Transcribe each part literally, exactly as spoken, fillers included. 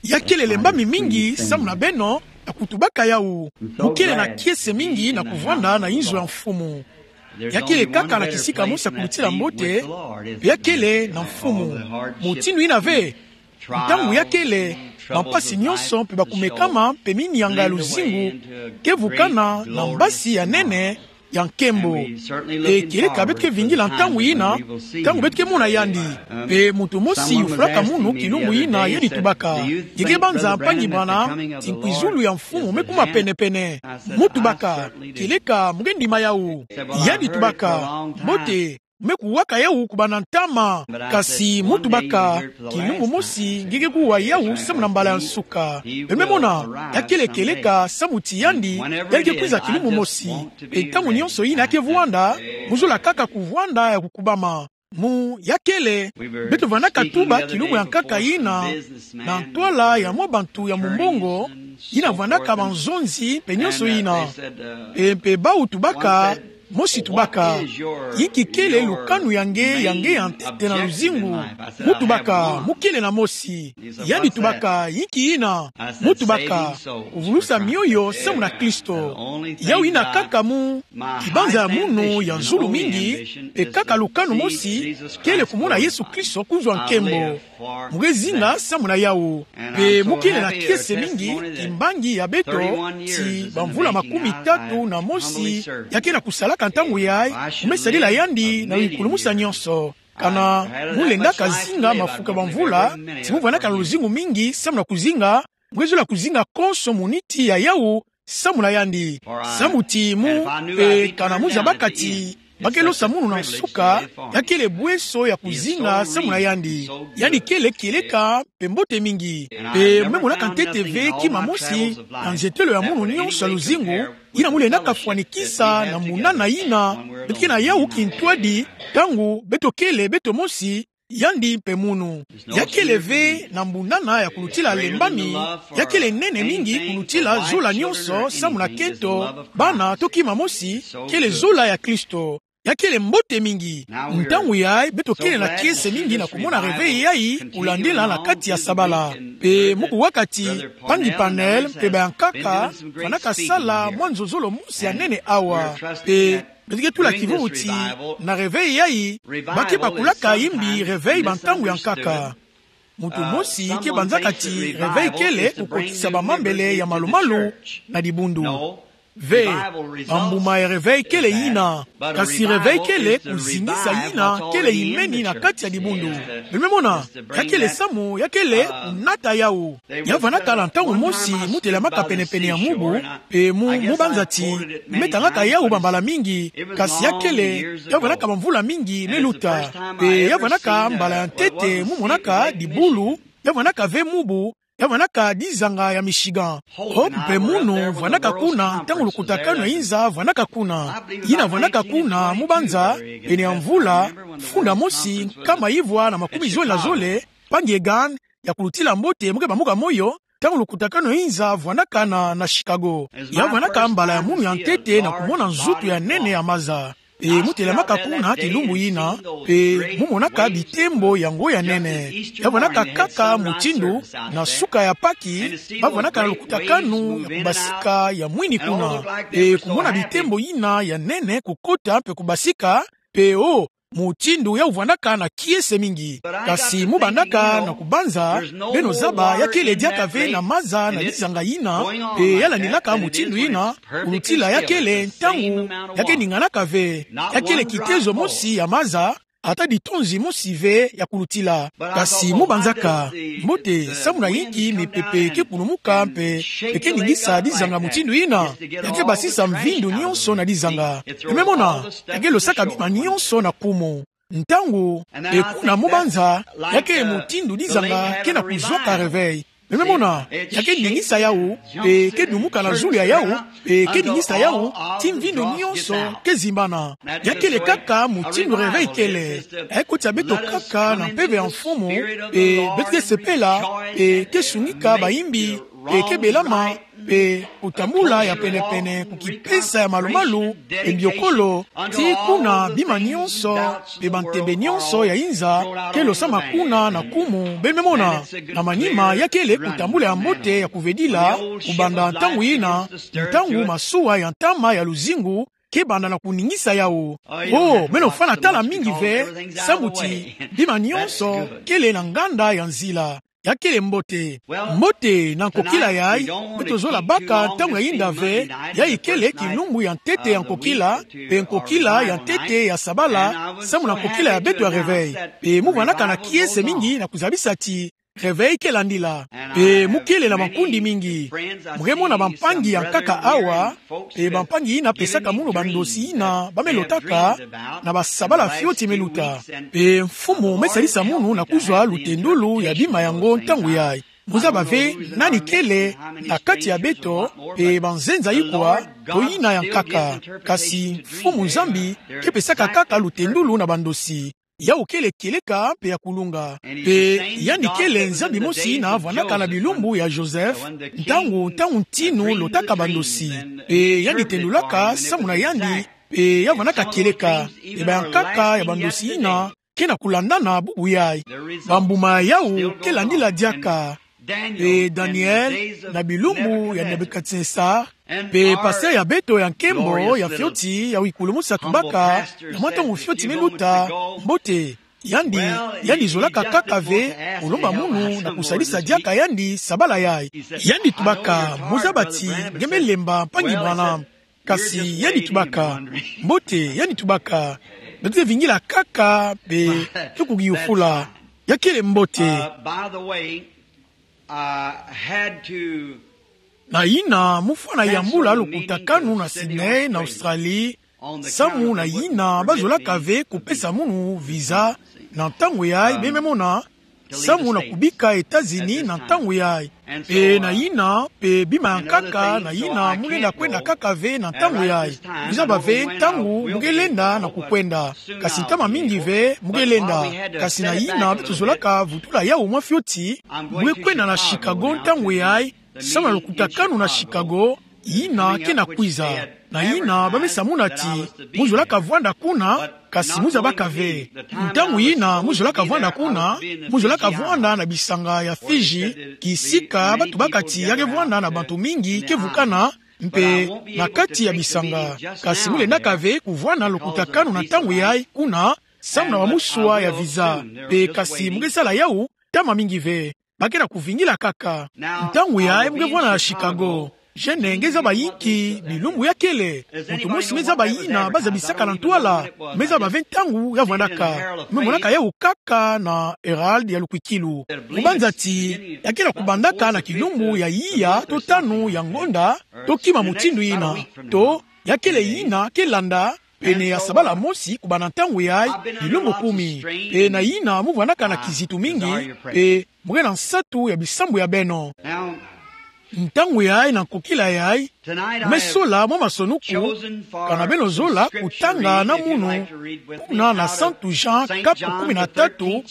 Ya kele lembami mingi samu na beno, ya kutubaka yawu. Mu kele na kiese mingi na kuvwanda na inzo ya mfumu. Ya kele kaka na kisika mosi ya kulutila mbote, ya kele na mfumu. Mutindu yina ve, ntangu ya kele, bampasi nyonso mpe bakumekama mpe minyanga ya luzingu, ke vukana na mbasi ya nene, ya nkembo. E kieleka beto ke vingila ntangu yina, ntangu beto ke mona yandi. Mpe muntu mosi yufulaka munu kilumbu yina yadi tubaka: Nge ke banza mpangi bwana ti nkwizulu ya mfumu me kuma penepene? Mu tubaka: Kieleka, mu ke ndima yawu. Yadi tubaka: Mbote, me kuwaka yawu kubanda ntama. Kasi mu tubaka: Kilumbu mosi nge ke kuwa yawu samu na mbala ya nsuka. Beno me mona, ya kele kieleka samu ti yandi, yandi ke kwiza kilumbu mosi. Mpe ntangu nyonso yina ya ke vwanda, mu zola kaka kuvwanda ya kukubama. Mu ya kele, beto vwandaka tuba kilumbu ya nkaka yina na ntwala ya mwa bantu ya mumbongo, yina vwandaka banzonzi mpe nyonso yina. Mpe, mpe bawu tubaka, mosi tubaka: Inki kele lukanu ya nge, ya nge ya ntete na luzingu? Mu tubaka: Mu kele na mosi. Yandi tubaka: Inki yina? Mu tubaka: Kuvulusa mioyo samu na Kristo. Yawu yina kaka mu kibanza ya munu ya zulu mingi, mpe kaka lukanu mosi, kele kumona Yesu Kristo kuzwa nkembo. Mu ke zinga samu na yawu. Mpe mu kele na kiese mingi, kimbangi ya beto ti bamvula makumi tatu na mosi, ya ke na kusalaka ntangu yayi, mu me sadila yandi na lukulumusa nyonso. Kana mu lendaka zinga mafuka bamvula, ti mu vwandaka na luzingu mingi samu na kuzinga, mu ke zola kuzinga konso muniti ya yawu samu na yandi. Samu ti mu, mpe kana mu zabaka ti ba ke losa munu na nsuka, ya kele bweso ya kuzinga samu na yandi. Yandi kele kieleka mpe mbote mingi. Mpe mu me monaka ntete ve kima mosi na nzetelo ya munu nyonso ya luzingu, yina mu lendaka fwanikisa na munana yina beto ke na yawu kintwadi, ntangu beto kele beto mosi, yandi mpe munu. Ya kele ve na munana ya kulutila lembami, ya kele nene mingi kulutila zola nyonso samu na kento, bana to kima mosi, kele zola ya Kristo. Ya kele mbote mingi. Ntangu yayi beto kele na kiese mingi na kumona reveil yayi kulandila na kati ya sabala. Mpe mu kuwaka ti mpangi Pannell mpe bayankaka, fwanaka sala mwa nzozolo mosi ya nene awa. Mpe beto ke tula kivuvu ti na reveil yayi, ba ke bakulaka imbi reveil ba ntangu ya nkaka. Muntu mosi ke banzaka ti reveil kele kukotisa bamambele ya malumalu na dibundu. Ve, bambuma ya reveil kele yina. Kasi reveil kele kuzingisa yina kele imeni na kati ya dibundu. Beno me mona, ya kele samu, ya kele kunata yawu. Ya vwandaka na ntangu mosi mu telamaka penepene ya mubu, mpe mu, mu banza ti, me tangaka yawu bambala mingi, kasi ya kele, ya vwandaka bamvula mingi me luta. Mpe ya vwandaka mbala ya ntete mu monaka dibulu, ya vwandaka ve mubu, ya vwandaka dizanga ya Michigan. O, mpe munu vwandaka kuna ntangu lukutakanu ya inza vwandaka kuna. Yina vwandaka kuna mu banza, pene ya mvula funda mosi nkama ivwa na makumi zole na zole, mpangi Hagin, ya kulutila mbote mu ke bamuka moyo, ntangu lukutakanu ya inza vwandakana na Chicago. Ya vwandaka mbala ya munu ya ntete na kumona nzutu ya nene ya maza. Mpe mu telamaka kuna kilumbu yina, mpe mu monaka bitembo yango ya nene. Ya vwandaka kaka mutindu na suka ya Paki, ba vwandaka na lukutakanu ya kubasika ya mwini kuna. Mpe kumona bitembo yina ya nene kukota mpe kubasika, mpe o, mutindu yawu vwandaka na kiese mingi. Kasi mu bandaka na kubanza, beno zaba ya kele diaka ve na maza na dizanga yina, mpe ya landilaka mutindu yina, kulutila ya kele ntangu ya ke ninganaka ve, ya kele kitezo mosi ya maza, ata ditonzi mosi ve ya kulutila. Kasi mu banzaka, mbote, samu na inki mipepe ke kulumuka mpe, mpe ke ningisa dizanga mutindu yina? Ya ke basisa mvindu nyonso na dizanga. Beno me mona, ya ke losaka bima nyonso na kumu. Ntangu, mpe kuna mu banza, ya ke mutindu dizanga ke na kuzwaka reveil. Beno me mona, ya ke ningisa yawu, mpe ke dumuka na zulu ya yawu, mpe ke ningisa yawu, ti mvindu nyonso ke zimbana. Ya kele kaka mutindu reveil kele. Ya ke kotisa beto kaka na mpeve ya mfumu, mpe beto ke sepela, mpe ke sunika bayimbi, mpe ke belama, mpe kutambula ya pene-pene ku kipesa ya malu-malu mpe mbiokolo, tii kuna bima nyonso mpe bantembe nyonso ya inza ke losama kuna na nkumu, beno me mona. Na manima, ya kele kutambula ya mbote ya kuvedila, kubanda ntangu yina, ntangu masuwa ya ntama ya luzingu ke banda na kuningisa yawu. Oh, beno fwana tala mingi ve, samu ti bima nyonso kele na nganda ya nzila. Ya kele mbote. Mbote, na nkokila yayi, beto zola baka ntangu ya yinda ve, yayi kele kilumbu ya ntete ya nkokila, mpe nkokila ya ntete ya sabala, samu na nkokila ya beto ya réveil. Mpe mu vwandaka na kiese mingi na kuzabisa ti réveil ke landila. Mpe mu kele na bankundi mingi. Mu ke mona bampangi ya nkaka awa, mpe bampangi yina pesaka munu bandosi yina ba me lotaka na basabala fioti me luta. Mpe Mfumu me salisa munu na kuzwa lutendulu ya bima yango ntangu yayi. Mu zaba ve nani kele na kati ya beto, mpe banzenza ikwa, to yina ya nkaka. Kasi Mfumu Nzambi ke pesaka kaka lutendulu na bandosi. Yawu kele kieleka mpe ya kulunga. Mpe yandi kele Nzambi mosi yina vwandaka na bilumbu ya Joseph, ntangu, ntangu ntinu lotaka bandosi. Mpe yandi tendulaka samu na yandi, mpe ya vwandaka kieleka. Mpe bayankaka ya bandosi yina ke na kulandana bubu yayi. Bambuma yawu ke landila diaka. Mpe Daniel, na bilumbu ya Nebukadnesar, mpe pasteur ya beto ya nkembo ya fioti ya wikulumusa tubaka, na mwa ntangu fioti me luta, mbote, yandi, yandi zolaka kaka ve kulomba munu na kusalisa diaka yandi sabala yayi. Yandi tubaka, mu zaba ti nge me lemba, mpangi Branham. Kasi yandi tubaka, mbote, yandi tubaka, beto ke vingila kaka, mpe ke kugiyufula. Ya kele mbote. Uh, by the way, I had to Na yina, mu fwana yambula lukutakanu na Sydney, na Australie, samu na yina ba zolaka ve kupesa munu visa na ntangu yayi, beno me mona, samu na kubika États-Unis na ntangu yayi. Mpe na yina, mpe bima ya nkaka, na yina mu lenda kwenda kaka ve na ntangu yayi. Mu zaba ve ntangu mu ke lenda na kukwenda. Kasi ntama mingi ve mu ke lenda. Kasi na yina beto zolaka vutula yawu mwa fioti, mu ke kwenda na Chicago ntangu yayi, samu na lukutakanu na Chicago, yina ke na kwiza. Na yina ba me sa muna ti mu zolaka vwanda kuna, kasi mu zabaka ve. Ntangu yina mu zolaka vwanda kuna, mu zolaka vwanda na bisanga ya Fiji, kisika ba tubaka ti ya ke vwanda na bantu mingi ke vukana, mpe na kati ya bisanga. Kasi mu lendaka ve kuvwanda na lukutakanu na ntangu yayi kuna, samu na bamuswa ya visa. Mpe kasi mu ke sala yawu ntama mingi ve. Ba ke na kuvingila kaka. Ntangu yayi mu ke vwanda na Chicago. Gene nge zaba inki bilumbu ya kele. Muntu mosi me zaba yina ba zabisaka na ntwala. Me zaba ve ntangu ya vwandaka. Me monaka yawu kaka na Herald ya lukwikilu. Kubanza ti ya ke na kubandaka na kilumbu ya iya to tanu ya ngonda, to kima mutindu yina. To, ya kele yina ke landa, pene ya sabala mosi kubanda ntangu yayi, bilumbu kumi. Mpe na yina mu vwandaka na kizitu mingi, mpe mu ke na nsatu ya bisambu ya beno. Ntangu yayi na nkokila yayi, mu me sola mwa masonuku, kana beno zola kutanga na munu, kuna na Santu Jean kapu kumi na tatu,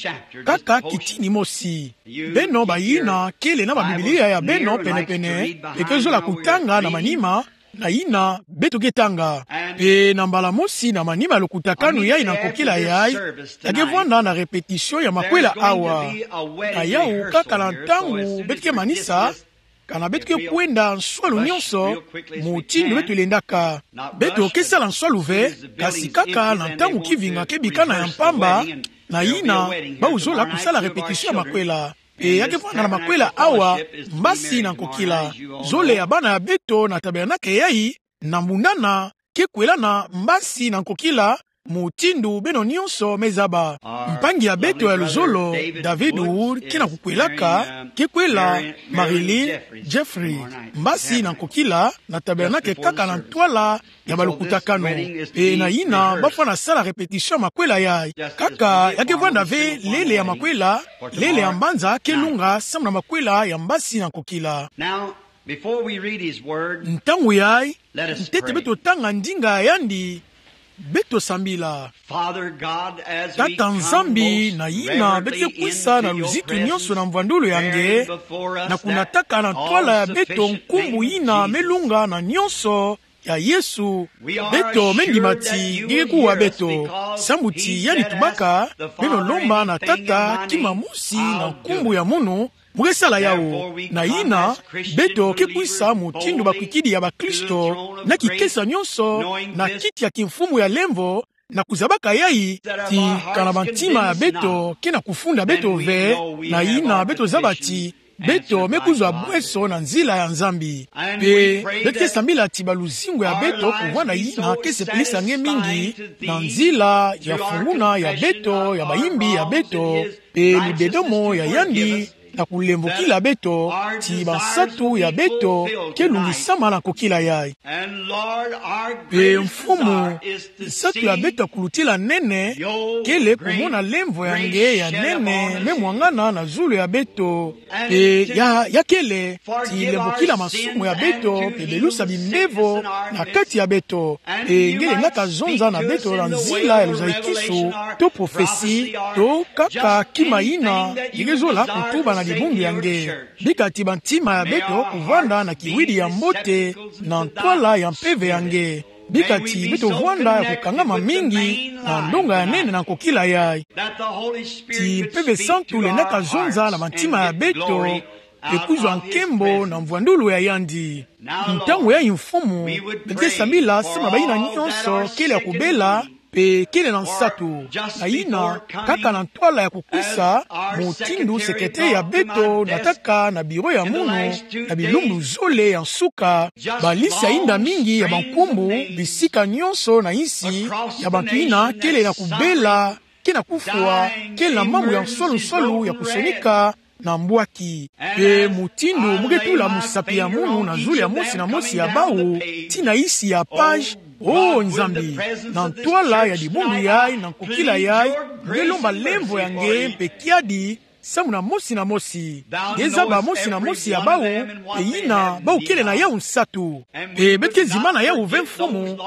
kaka kitini mosi. Beno bayina kele na ba Biblia ya beno pene-pene, mpe ke zola kutanga na manima, na yina beto ke tanga. Mpe na mbala mosi na manima ya lukutakanu yayi na nkokila yayi, ya ke vwanda na répétition ya makwela awa. Na yawu kaka na ntangu beto ke manisa, kana beto ke kwenda nswalu nyonso, mutindu beto lendaka. Beto ke sala nswalu ve, kasi kaka na ntangu kivinga ke bikana ya mpamba, na yina ba zola kusala répétition ya makwela. Mpe ya ke vwanda na makwela awa, mbasi na nkokila. Zole ya bana ya beto na tabernakle yayi, na mbundana, ke kwelana mbasi na nkokila, mutindu beno nyonso me zaba. Mpangi ya beto ya luzolo, David Wood, ke na kukwelaka, ke kwela Marilyn Jeffries, mbasi na nkokila, na tabernakle kaka na ntwala ya balukutakanu. Mpe na yina ba fwana sala répétition ya makwela yayi. Kaka ya ke vwanda ve lele ya makwela, lele ya mbanza ke lunga samu na makwela ya mbasi na nkokila. Now, before we read his word, ntangu yayi, let us ntete pray. Beto tanga ndinga ya yandi. Beto sambila. Father God, as we Tata Nzambi, come na yina beto ke kwisa na luzitu nyonso na mvwandulu ya nge, na kunataka na ntwala ya beto nkumbu yina me lunga na nyonso ya Yesu. Beto me ndima ti nge ke kuwa beto, sambu ti yandi tubaka, beno lomba na Tata kima mosi na nkumbu ya munu, mu ke sala yawu. Na yina, beto ke kwisa mutindu bakwikidi ya bakristo, na kikesa nyonso, na kiti ya kimfumu ya lemvo, na kuzabaka yayi, ti kana bantima ya beto ke na kufunda beto ve, na yina beto zaba ti beto me kuzwa bweso na nzila ya Nzambi. Mpe beto ke sambila ti baluzingu ya beto kuvwanda yina ke sepelisa nge mingi, na nzila ya funguna ya beto, ya bayimbi ya beto, mpe ludedomo ya yandi, na kulemvokila beto ti bansatu ya beto ke lungisama na kokila yayi. Mpe Mfumu, nsatu ya beto ya kulutila nene kele kumona lemvo ya nge ya nene me mwangana na zulu ya beto. Mpe ya, ya kele ti lemvokila masumu ya beto, mpe belusa bimbevo na kati ya beto. Mpe nge lendaka zonza na beto na nzila ya luzayikisu, to profesi, to kaka kima yina nge ke zola kutuba na dibundu ya nge. Bika ti bantima ya beto kuvwanda na kiwidi ya mbote na ntwala ya mpeve ya nge. Bika ti beto vwanda ya kukangama mingi na ndonga ya nene na kokila yayi. Ti Mpeve Santu lendaka zonza na bantima ya beto, mpe kuzwa nkembo na mvwandulu ya yandi. Ntangu yayi Mfumu, beto ke sambila samu na bayina nyonso kele ya kubela, mpe kele na nsatu. Na yina, kaka na ntwala ya kukwisa, mutindu sekete ya beto nataka na biro ya munu, na bilumbu zole ya nsuka, balisi ya yinda mingi ya bankumbu, bisika nyonso na yinsi, ya bantu yina kele na kubela, ke na kufwa, kele na mambu ya nsolu-nsolu ya kusonika na mbwaki. Mpe mutindu mu ke tula musapi ya munu na zulu ya mosi na mosi ya bawu, tii na yinsi ya page, O Nzambi, na ntwala ya dibundu yayi, na nkokila yayi, nge lomba lemvo ya nge mpe kiadi, samu na mosi na mosi. Nge zaba mosi na mosi ya bawu, mpe yina bawu kele na yawu nsatu. Mpe beto ke zimana yawu ve Mfumu,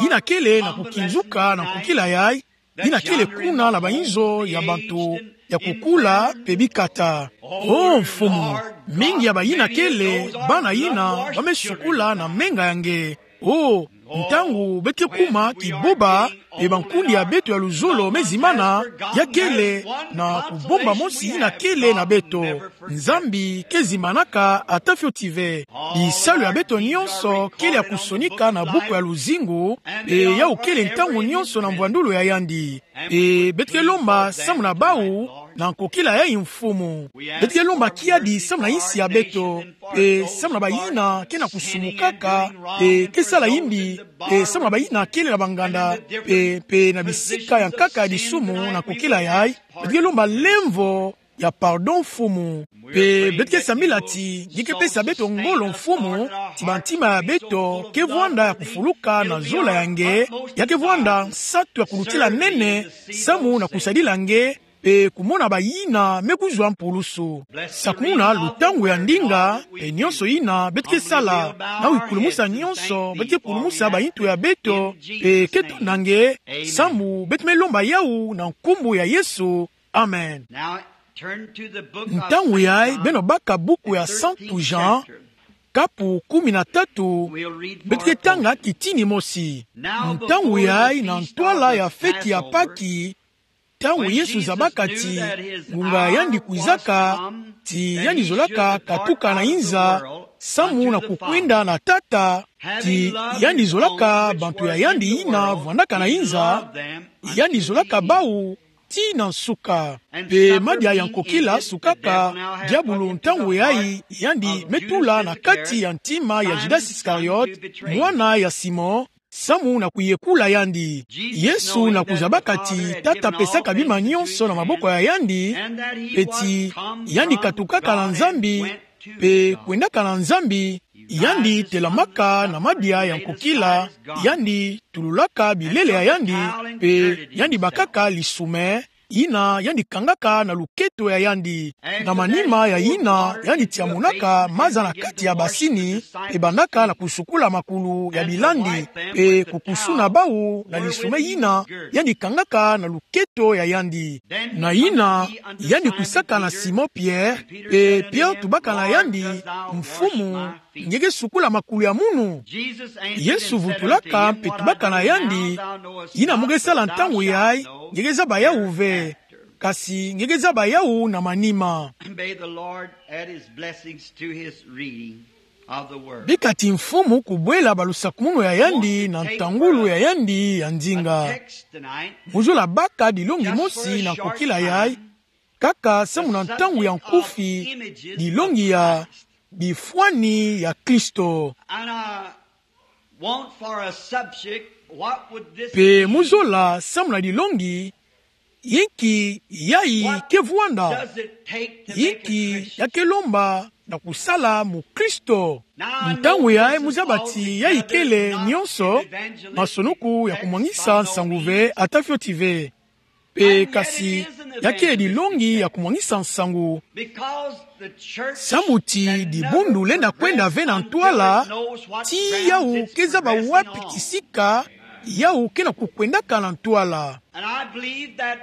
yina kele na kukinzuka na nkokila yayi, yina kele kuna na bayinzo ya bantu ya kukula mpe bikata. O Mfumu, mingi ya bayina kele bana yina ba me sukula na menga ya nge. O, ntangu beto ke kuma kiboba, mpe bankundi ya beto ya luzolo me zimana, ya kele na kubomba mosi yina kele na beto. Nzambi ke zimanaka ata fioti ve. Bisalu ya beto nyonso kele ya kusonika na buku ya luzingu, mpe yawu kele ntangu nyonso na mvwandulu ya yandi. Mpe beto ke lomba samu na bawu, na nkokila yayi Mfumu. Beto ke lomba kiadi samu na yinsi ya beto, mpe samu na bayina ke na kusumukaka, mpe ke sala yimbi, mpe samu na bayina kele na banganda, mpe, mpe na bisika ya nkaka ya disumu na nkokila yayi. Beto ke lomba lemvo ya pardon Mfumu. Mpe beto ke sambila ti nge ke pesa beto ngolo Mfumu, ti bantima ya beto ke vwanda ya kufuluka na zola ya nge, ya ke vwanda nsatu ya kulutila nene, samu na kusadila nge, mpe kumona bayina me kuzwa mpulusu. Sakumuna lutangu ya ndinga, mpe nyonso yina beto ke sala, na wikulumusa nyonso beto ke kulumusa bayintu ya beto, mpe ke tonda nge, samu beto me lomba yawu na nkumbu ya Yesu. Amen. Ntangu yayi, beno baka buku ya Santu Jean, kapu kumi na tatu, beto ke tanga kitini mosi. Ntangu yayi na ntwala ya feti ya Paki, ntangu Yesu zabaka ti ngunga ya yandi kwizaka, ti yandi zolaka katuka na inza, samu na kukwenda na Tata, ti yandi zolaka bantu ya yandi yina vwandaka na inza, yandi zolaka bawu, tii na nsuka. Mpe madia ya nkokila sukaka, diabulu ntangu yayi yandi me tula na kati ya ntima ya Judas Iscariot, mwana ya Simon, samu na kuyekula yandi. Yesu na kuzabaka ti Tata pesaka bima nyonso na maboko ya yandi, mpe ti yandi katukaka na Nzambi, mpe kwendaka na Nzambi, yandi telamaka na madia ya nkokila, yandi tululaka bilele ya yandi, mpe yandi bakaka lisume, yina yandi kangaka na luketo ya yandi. Na manima ya yina, yandi tia monaka maza na kati ya basini, pe bandaka na kusukola makulu ya bilandi, pe kukusuna bawu na lissome yina yandi kangaka na luketo ya yandi. Na yina, yandi kwisaka na Simon Pierre, pe Pierre tubaka na yandi: Mfumu, nge ke sukola makulu ya munu? Yesu vutulaka mpe tubaka na yandi: Yina mu ke sala ntangu yayi, nge ke zaba yawu ve, kasi nge ke zaba yawu na manima. May the Lord add his blessings to his reading of the word. Bika ti Mfumu kubwela balusakumunu ya yandi na ntangulu ya yandi ya nzinga. Text tonight. Mu zola baka dilongi mosi na kokila yayi, kaka samu na ntangu ya nkufi, dilongi ya bifwani ya Kristo. And I want for a subject, what would this Pe be? Mu zola samu na dilongi, yinki yayi ke vwanda? Does it take to make a Yinki Christian? ya ke lomba na kusala mukristo? Ntangu yayi mu zaba ti yayi kele nionso masonoku ya kumwangisa nsangu ve, ata fioti ve. Pe kasi ya ke dilongi ya kumwangisa nsangu. Because the church Samu ti can dibundu never lenda kwenda progress ve na until ntwala, it knows what ti grounds yawu it's ke zaba progressing wapi on. kisika yawu ke na kukwendaka na ntwala. And I believe that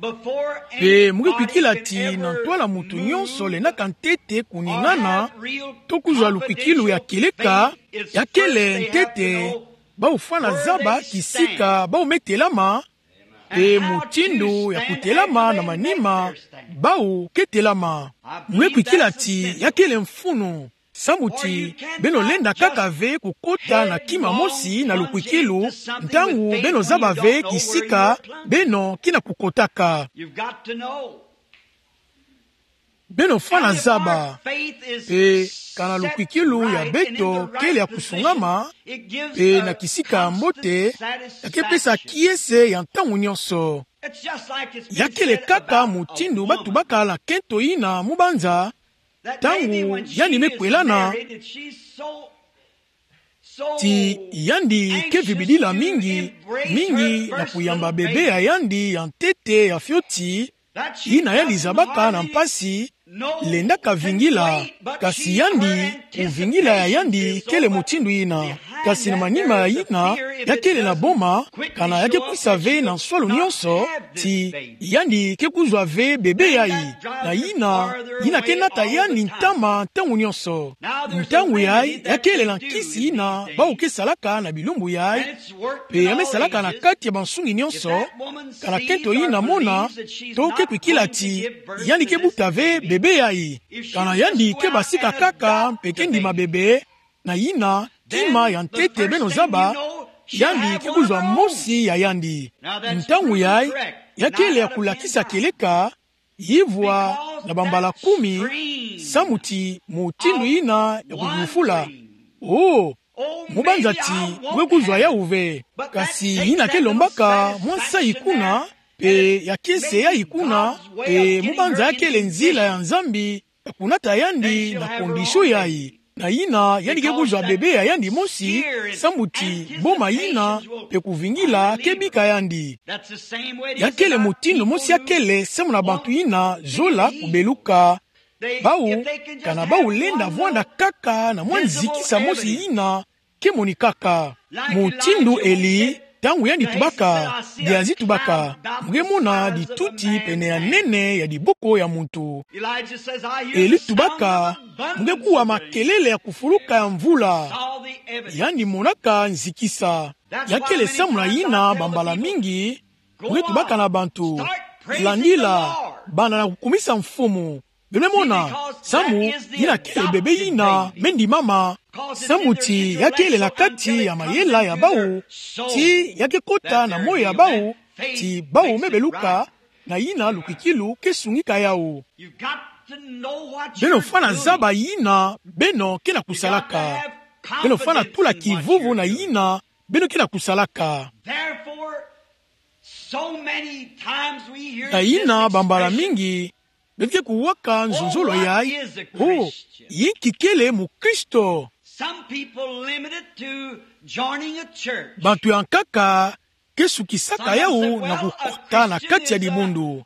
before Pe mu ke anybody kwikila can ti na ever ntwala muntu move nionso lendaka ntete or kuningana, have real to kuzwa lukwikilo ya confidential kieleka, faith is ya kele first they have to ntete, know bawu fwana where zaba they kisika stand. Bawu me telama, And pe how to mutindu ya stand kutelama after na they make manima their stand. Bawu ke telama. I Mu ke believe kwikila that's a ti symbol. Ya kele mfunu. Samu ti beno lenda kaka ve kukota na kima mosi na lukwikilo, ntangu beno zaba ve kisika beno ke na kukotaka. You've got to know. Beno fwana And if zaba. Our faith is Pe kana set lukwikilo ya right beto and in the kele ya right position, kusungama, it gives pe a na kisika ya mbote, constant ya ke pesa satisfaction. Kiese ya ntangu nionso. It's just like it's been Ya kele said kaka about a mutindu woman batubaka na nkento yina mu banza, that ntangu maybe when she yandi me is kwelana, married and she's so, so ti yandi ke anxious vibidila to mingi, embrace mingi her na first kuyamba little bebe ya baby. Yandi ya ntete ya fioti, That she yina yandi doesn't zabaka na hardly mpasi, know lendaka can vingila, wait, but kasi she, her yandi, kuvingila ya anticipation yandi is so kele much mutindu yina. behind Kasi na that manima there ya is a yina, fear if ya it kele na doesn't boma, quickly kana ya ke show up kwisa that she ve na will nswalu not nionso, have this ti baby. yandi ke kuzwa ve bebe Then yayi. that drives Na her yina, farther yina ke away nata all the yandi time. Ntama ntangu nionso. Now there's a Ntangu yayi, remedy ya that kele they na do nkisi in yina, these bawu things. ke salaka na bilumbu yayi, And it's worked pe in ya me all salaka na ages. kati ya bansungi If nionso, that woman kana sees nkento on yina her mona, knees that she's to ke not kwikila going to ti, give birth yandi to ke this buta ve baby, bebe yayi. if she Kana just yandi go ke out basika and kaka, adopt mpe the ke ndima baby, bebe, na yina, then kima ya the ntete first beno thing you zaba, know, she'll yandi have ke one of kuzwa her own. Mosi ya yandi. Now that's Ntangu proven yayi, correct. ya Nine kele ya out of ten kulakisa times. kieleka, yivwa Because na bambala that kumi, stream samu ti mutindu of yina ya kuyufula. wandering. Oh, Oh, mu banza maybe ti, I won't mu ke kuzwa have it. yawu ve. But that Kasi takes yina that ke little lombaka mwa nsayi satisfaction kuna, there, and pe it's ya kiese maybe yayi kuna, God's way of pe mu getting banza her ya in kele nzila ya condition. Nzambi ya kunata yandi na condition yayi. Na yina, yandi ke kuzwa bebe ya yandi mosi, samu ti boma yina, pe kuvingila ke bika yandi. Ya kele mutindu mosi ya kele samu na bantu yina zola kubeluka. Bawu, kana bawu lenda vwanda kaka na mwa nzikisa mosi yina ke monikaka. Mutindu Eli, ntangu yandi tubaka, Gehazi tubaka, mu ke mona dituti pene ya nene ya diboko ya muntu. Eli tubaka, mu ke kuwa makelele ya kufuluka ya mvula. Yandi monaka nzikisa. Ya kele samu na yina bambala mingi, mu ke tubaka na bantu: Landila, banda na kukumisa Mfumu. Beno mona, samu yina kele bebe yina me ndimama. Samu ti ya kele na kati ya mayela ya bawu, ti ya ke kota na moyo ya bawu, ti bawu me beluka na yina lukwikilu ke sungika yawu. Beno fwana zaba yina beno ke na kusalaka. Beno fwana tula kivuvu na yina beno ke na kusalaka. Na yina bambala mingi beno ke kuwaka nzonzolo yayi: Oh, yinki kele mukristo? Bantu ya nkaka ke sukisaka yawu na kukota na kati ya dibundu.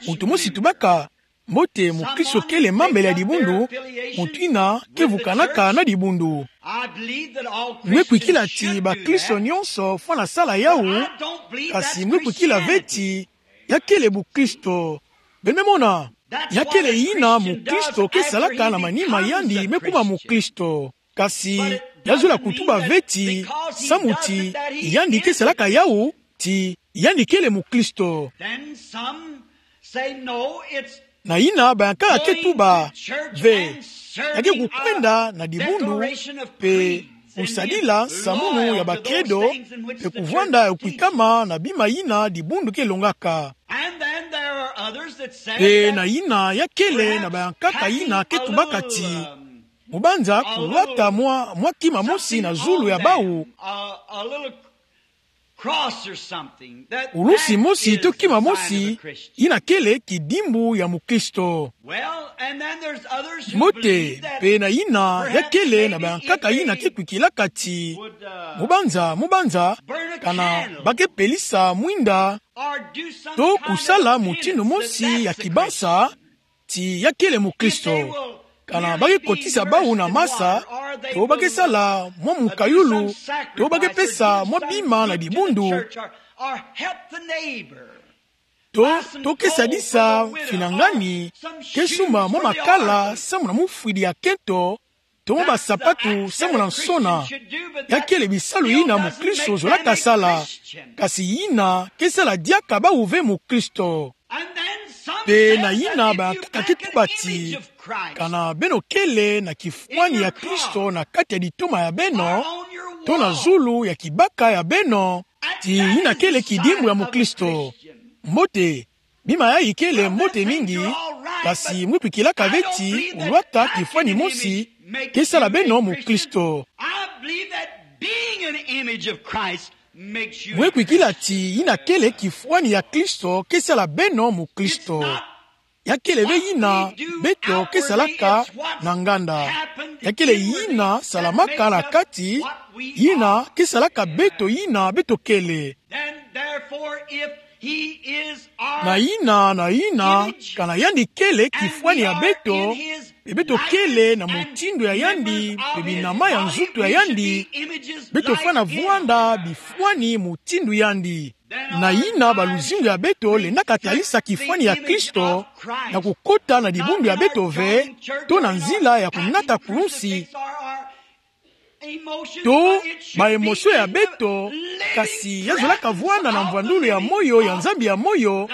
Muntu mosi tubaka, mbote, mukristo kele mambele ya dibundu, muntu ina kevukanaka na dibundu. Mwe kwikila ti bakristo nyonso fwana sala yawu, kasi mwe kwikila ve ti ya kele bukristo. Beno me mona, ya kele ina mukristo kesalaka na manima yandi me kuma mukristo. Kasi ya zola kutuba ve ti, samu ti yandi kesalaka yawu, ti yandi kele mukristo. Then some say, "No, it's na ina bayankaka ke tuba ve, ya ke kukwenda na dibundu, pe kusadila nsamunu ya bakedo, pe kuvwanda ya kuikama na bima ina dibundu ke longaka." And then there are others that say, pe na ina ya kele na bayankaka ina ke tubaka ti, mubanza kulwata mwa, mwa kima mosi na zulu ya bawu. A, a little cross or something that, ulusi mosi to kima mosi, ina kele kidimbu ya mukristo. Well, and then there's others who believe that, mbote, pe na ina ya kele na bayankaka ina ke kwikilaka ti, mubanza, mubanza, kana ba ke pelisa mwinda, to kusala mutindu mosi ya kibasa, ti ya kele mukristo. Kana ba ke kotisa bawu na masa, to ba ke sala mwa mukayulu, to ba ke pesa mwa bima na dibundu, to, to ke sadisa finangani, ke sumba mwa makala samu na mufwidi ya kento, to mwa basapatu samu na nsona. Ya kele bisalu ina mukristo zolaka sala, kasi ina ke sala diaka bawu ve mukristo. Pe na ina bayankaka ke tuba ti, kana beno kele na kifwani ya Kristo na kati ya ditoma ya beno, to na zulu ya kibaka ya beno, ti ina kele kidimbu ya mukristo. Mbote, bima yayi kele mbote mingi, kasi mwe kwikilaka ve ti kulwata kifwani mosi ke sala beno mukristo. I believe that being an image of Christ makes you a Christian. Mwe kwikila ti ina kele kifwani ya Kristo ke sala beno mukristo. Ya kele ve ina beto ke salaka na nganda. Ya kele ina salamaka na kati, ina ke salaka beto ina beto kele. Then therefore, if he is our image, na ina, na ina, kana yandi kele kifwani ya beto, pe beto kele na mutindu ya yandi, pe binama ya nzutu ya yandi, beto fwana vwanda bifwani mutindu yandi. Na ina baluzingu ya beto lendaka talisa kifwani ya Kristo, na kukota na dibundu ya beto ve, to na nzila ya kunata kurunsi, to ba émotion ya beto, kasi ya zolaka vwanda na mvwandulu ya moyo ya Nzambi ya moyo,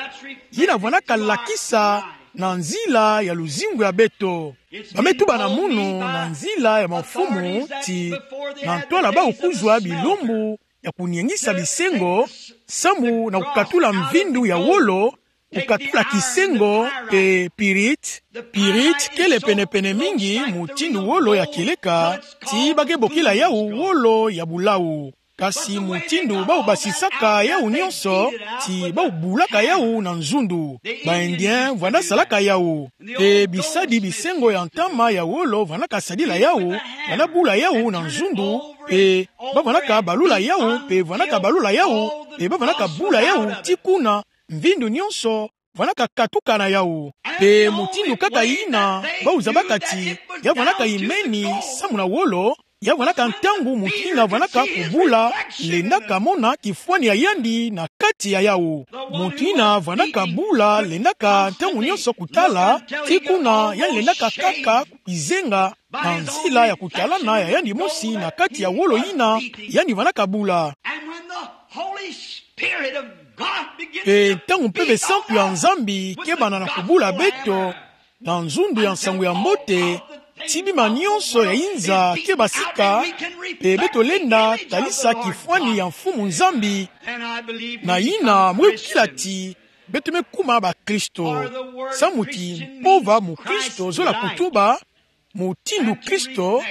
yina vwanaka lakisa na nzila ya luzingu ya beto. Ba me tuba na munu na nzila ya bamfumu ti, na ntwala bawu kuzwa bilumbu ya kuniengisa bisengo, samu na kukatula mvindu ya wolo, kukatula kisengo pe pyrite. Pyrite kele penepene mingi mutindu wolo ya kieleka, ti ba ke bokila yawu wolo ya bulawu. Kasi mutindu bawu basisaka yawu nyonso, ti bawu bulaka yawu na nzundu. Ba Indien vwanda salaka yawu. Pe bisadi bisengo ya ntama ya wolo vwandaka sadila yawu, vwanda bula yawu na nzundu, pe ba vwandaka balula yawu, pe vwandaka balula yawu, pe ba vwandaka bula yawu, ti kuna mvindu nyonso vwandaka katuka na yawu. Pe mutindu kaka yina bawu zabaka ti ya vwandaka imeni samu na wolo, ya vwandaka ntangu mutindu yina vwandaka kubula lendaka mona kifwani ya yandi na kati ya yawu. Mutindu yina vwandaka bula lendaka ntangu nyonso kutala, ti kuna yandi lendaka kaka kukizenga na nzila ya kutalana ya yandi mosi na kati ya wolo yina yandi vwandaka bula. And when the Holy Spirit of God begins to, pe ntangu Mpeve Santu ya Nzambi ke banda na kubula beto na nzundu ya nsangu ya mbote, ti bima nyonso ya inza ke basika, pe beto lenda talisa kifwani ya Mfumu Nzambi. Na yina mwe kila ti beto me kuma bakristo. Samu ti mpova mukristo zola kutuba mutindu Kristo,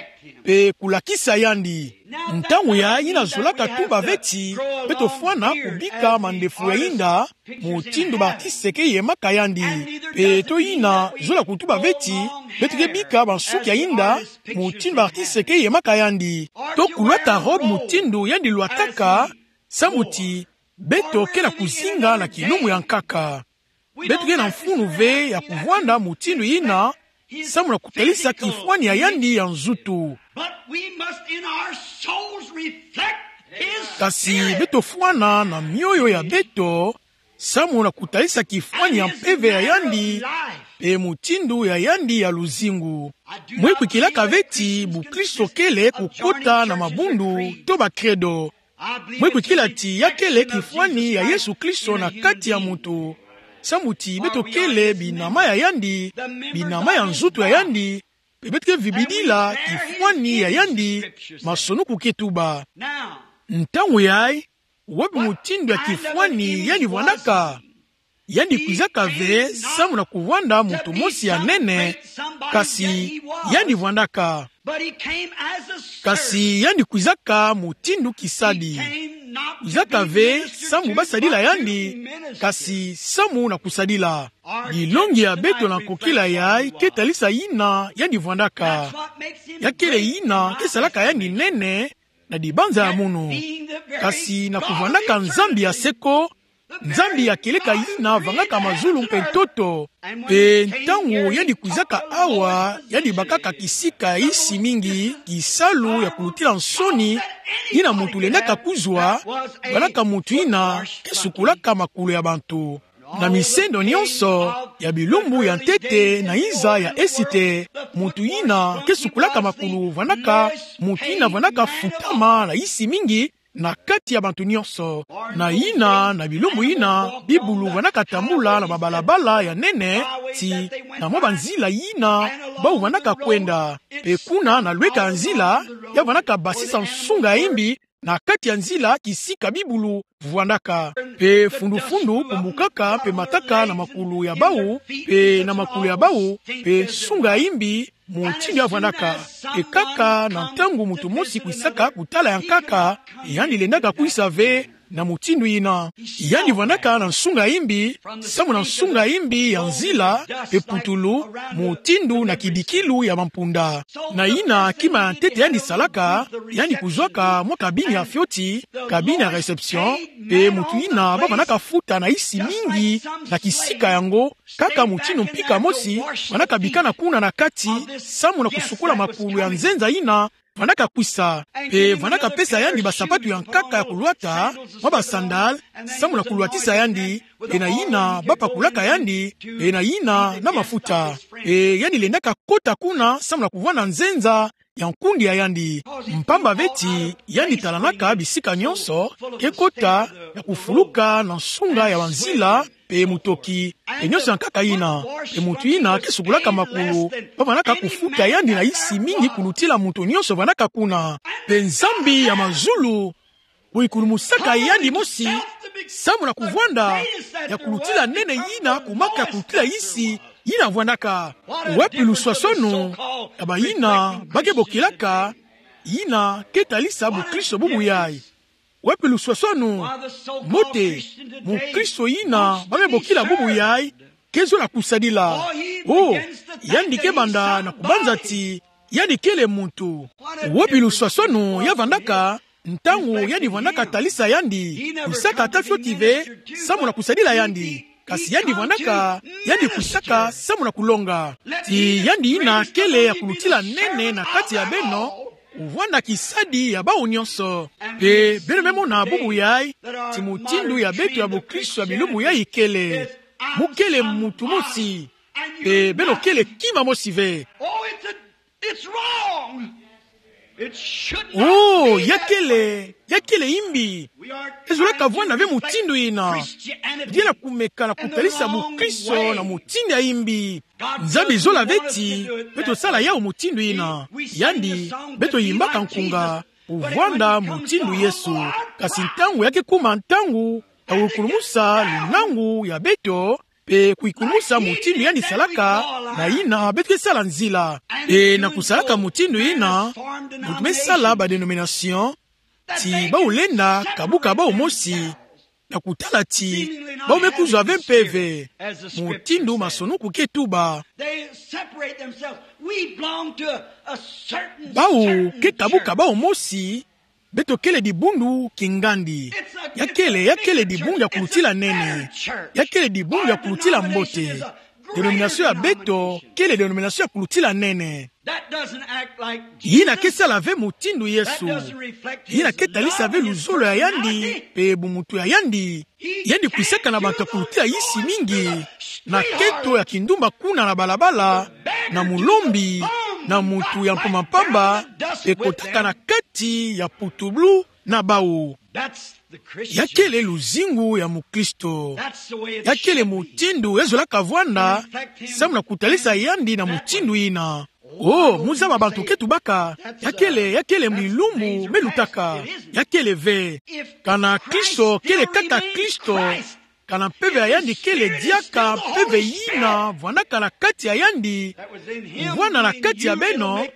pe kulakisa yandi. Ntangu ya yina zolaka tuba ve ti beto fwana kubika mandefu ya inda mutindu batiseke yemaka yandi, pe to yina zola kutuba ve ti beto ke bika bansuki ya inda mutindu batiseke yemaka yandi, to kulwata robe mutindu yandi lwataka, samu ti beto ke na kuzinga na kilumbu ya nkaka. Beto ke na mfunu ve ya kuvwanda mutindu yina, samu na kutalisa kifwani ya yandi ya nzutu. But we must in our souls reflect his spirit. Kasi beto fwana na mioyo ya beto, samu na kutalisa kifwani ya mpeve ya yandi, mpe mutindu ya yandi ya luzingu. Mwe kwikilaka ve ti bukristo kele kukota na mabundu to bakredo. Mwe kwikila ti ya kele kifwani ya Yesu Kristo na kati ya moto. Samu ti beto kele binama ya yandi, binama ya nzutu ya yandi, mpe beto ke vibidila kifwani ya yandi, masonuku ke tuba. Ntangu yayi, wapi mutindu ya kifwani yandi vwandaka? Yandi kwizaka ve samu na kuvwanda muntu mosi ya nene, kasi yandi vwandaka. Kasi yandi kwizaka mutindu kisadi. Kwizaka ve samu basadila yandi, kasi samu na kusadila. Dilongi ya beto na kokila yayi ke talisa yina yandi vwandaka. Ya kele yina ke salaka yandi nene na dibanza ya munu. Kasi na kuvwandaka Nzambi ya seko, Nzambi ya kieleka yina vangaka mazulu mpe ntoto. Mpe ntangu yandi kwizaka awa, yandi bakaka kisika ya isi mingi, kisalu ya kulutila nsoni yina muntu lendaka kuzwa, vwandaka muntu yina ke sukulaka makulu ya bantu. Na misendo nyonso ya bilumbu ya ntete na nza ya Esite, muntu yina ke sukulaka makulu vwandaka muntu yina vwandaka futama na isi mingi na kati ya bantu nyonso. Na yina, na bilumbu yina, bibulu vwandaka tambula na babalabala ya nene, ti na mwa banzila yina bau vwandaka kwenda. Mpe kuna na lweka ya nzila, ya vwandaka basisa nsunga ya imbi na kati ya nzila kisika bibulu vwandaka. Mpe fundu-fundu kumbukaka mpe mataka na makulu ya bau, mpe na makulu ya bau, mpe nsunga ya imbi, mutindu ya vwandaka. Mpe kaka na ntangu muntu mosi kwisaka kutala ya nkaka, yandi lendaka kwisa ve na mutindu yina. Yandi vwandaka na nsunga ya imbi, samu na nsunga ya imbi ya nzila, mpe putulu, mutindu na kidikilu ya bampunda. Na yina kima ya ntete yandi salaka, yandi kuzwaka mwa kabine ya fioti, kabine ya réception, mpe muntu yina bau vwandaka futa na isi mingi na kisika yango, kaka mutindu mpika mosi, vwandaka bikana kuna na kati, samu na kusukula makulu ya nzenza yina vwandaka kwisa. Mpe vwandaka pesa yandi basapatu ya nkaka ya kulwata, mwa basandale, samu na kulwatisa yandi, mpe na yina bapakulaka yandi, mpe na yina na mafuta. Mpe yandi lendaka kota kuna samu na kuvwanda nzenza ya nkundi ya yandi. Mpamba ve ti yandi talanaka bisika nyonso ke kota ya kufuluka na nsunga ya banzila, mpe mutoki, mpe nyonso ya nkaka yina. Mpe muntu yina ke sukulaka makulu, bau vwandaka kufuta yandi na isi mingi kulutila muntu nyonso vwandaka kuna. Mpe Nzambi ya mazulu kuikulumusaka yandi mosi, samu na kuvwanda ya kulutila nene yina kumaka kulutila isi yina vwandaka. Wapi luswaswanu ya bayina ba ke bokilaka yina ke talisa bukristo bubu yayi? Wapi luswaswanu? Mbote, mukristo yina ba me bokila bubu yayi ke zola kusadila. Oh, yandi ke banda na kubanza ti yandi kele muntu. Wapi luswaswanu ya vandaka, ntangu yandi vandaka talisa yandi, kwisaka ata fioti ve, samu na kusadila yandi. Kasi yandi vandaka, yandi kwisaka samu na kulonga. Ti yandi yina kele ya kulutila nene na kati ya beno, kuvanda kisadi ya bawu nyonso. Mpe beno me mona bubu yayi, ti mutindu ya beto ya bukristo ya bilumbu yayi kele. Mu kele muntu mosi. Mpe beno kele kima mosi ve. Oh, it's a, it's wrong. It should not be that way. Oh, ya kele, ya kele imbi. Ezolaka vwanda ve mutindu yina. Diena kumeka na kutalisa bukristo na mutindu ya imbi. Nzambi zola ve ti beto sala yawu mutindu yina. Yandi, beto yimbaka nkunga, kuvwanda mutindu Yesu. Kasi ntangu ya ke kuma ntangu ya kukulumusa lunangu ya beto, mpe kukulumusa mutindu yandi salaka, na yina beto ke sala nzila. Mpe na kusalaka mutindu yina, beto me sala ba dénomination, ti bawu lenda kabuka bawu mosi, na kutala ti bawu me kuzwa ve mpeve, mutindu masonuku ke tuba. They separate themselves. We belong to a, a certain, bawu certain ke kabuka church. Bawu mosi, beto kele dibundu kingandi. It's a Ya kele, ya kele dibundu ya kulutila nene. Ya kele dibundu ya kulutila mbote. Denomination ya beto kele denomination ya kulutila nene. Yina ke sala ve mutindu Yesu. Yina ke talisa ve luzolo ya yandi pe bumuntu ya yandi. Yandi kwisaka na bantu ya kulutila yisi mingi, na kento ya kindumba kuna na balabala, na mulombi, na muntu ya mpamba mpamba, pe kotaka na kati ya putublu na bau. Ya kele luzingu ya mukristo. Ya kele mutindu ya zolaka vwanda, samu na kutalisa yandi na mutindu yina. Oh, mu zaba bantu ke tubaka. Ya kele, ya kele bilumbu me lutaka. Ya kele ve. Kana Kristo kele kaka Kristo, kana mpeve ya yandi kele diaka mpeve yina vwandaka na kati ya yandi, kuvwanda na kati ya beno,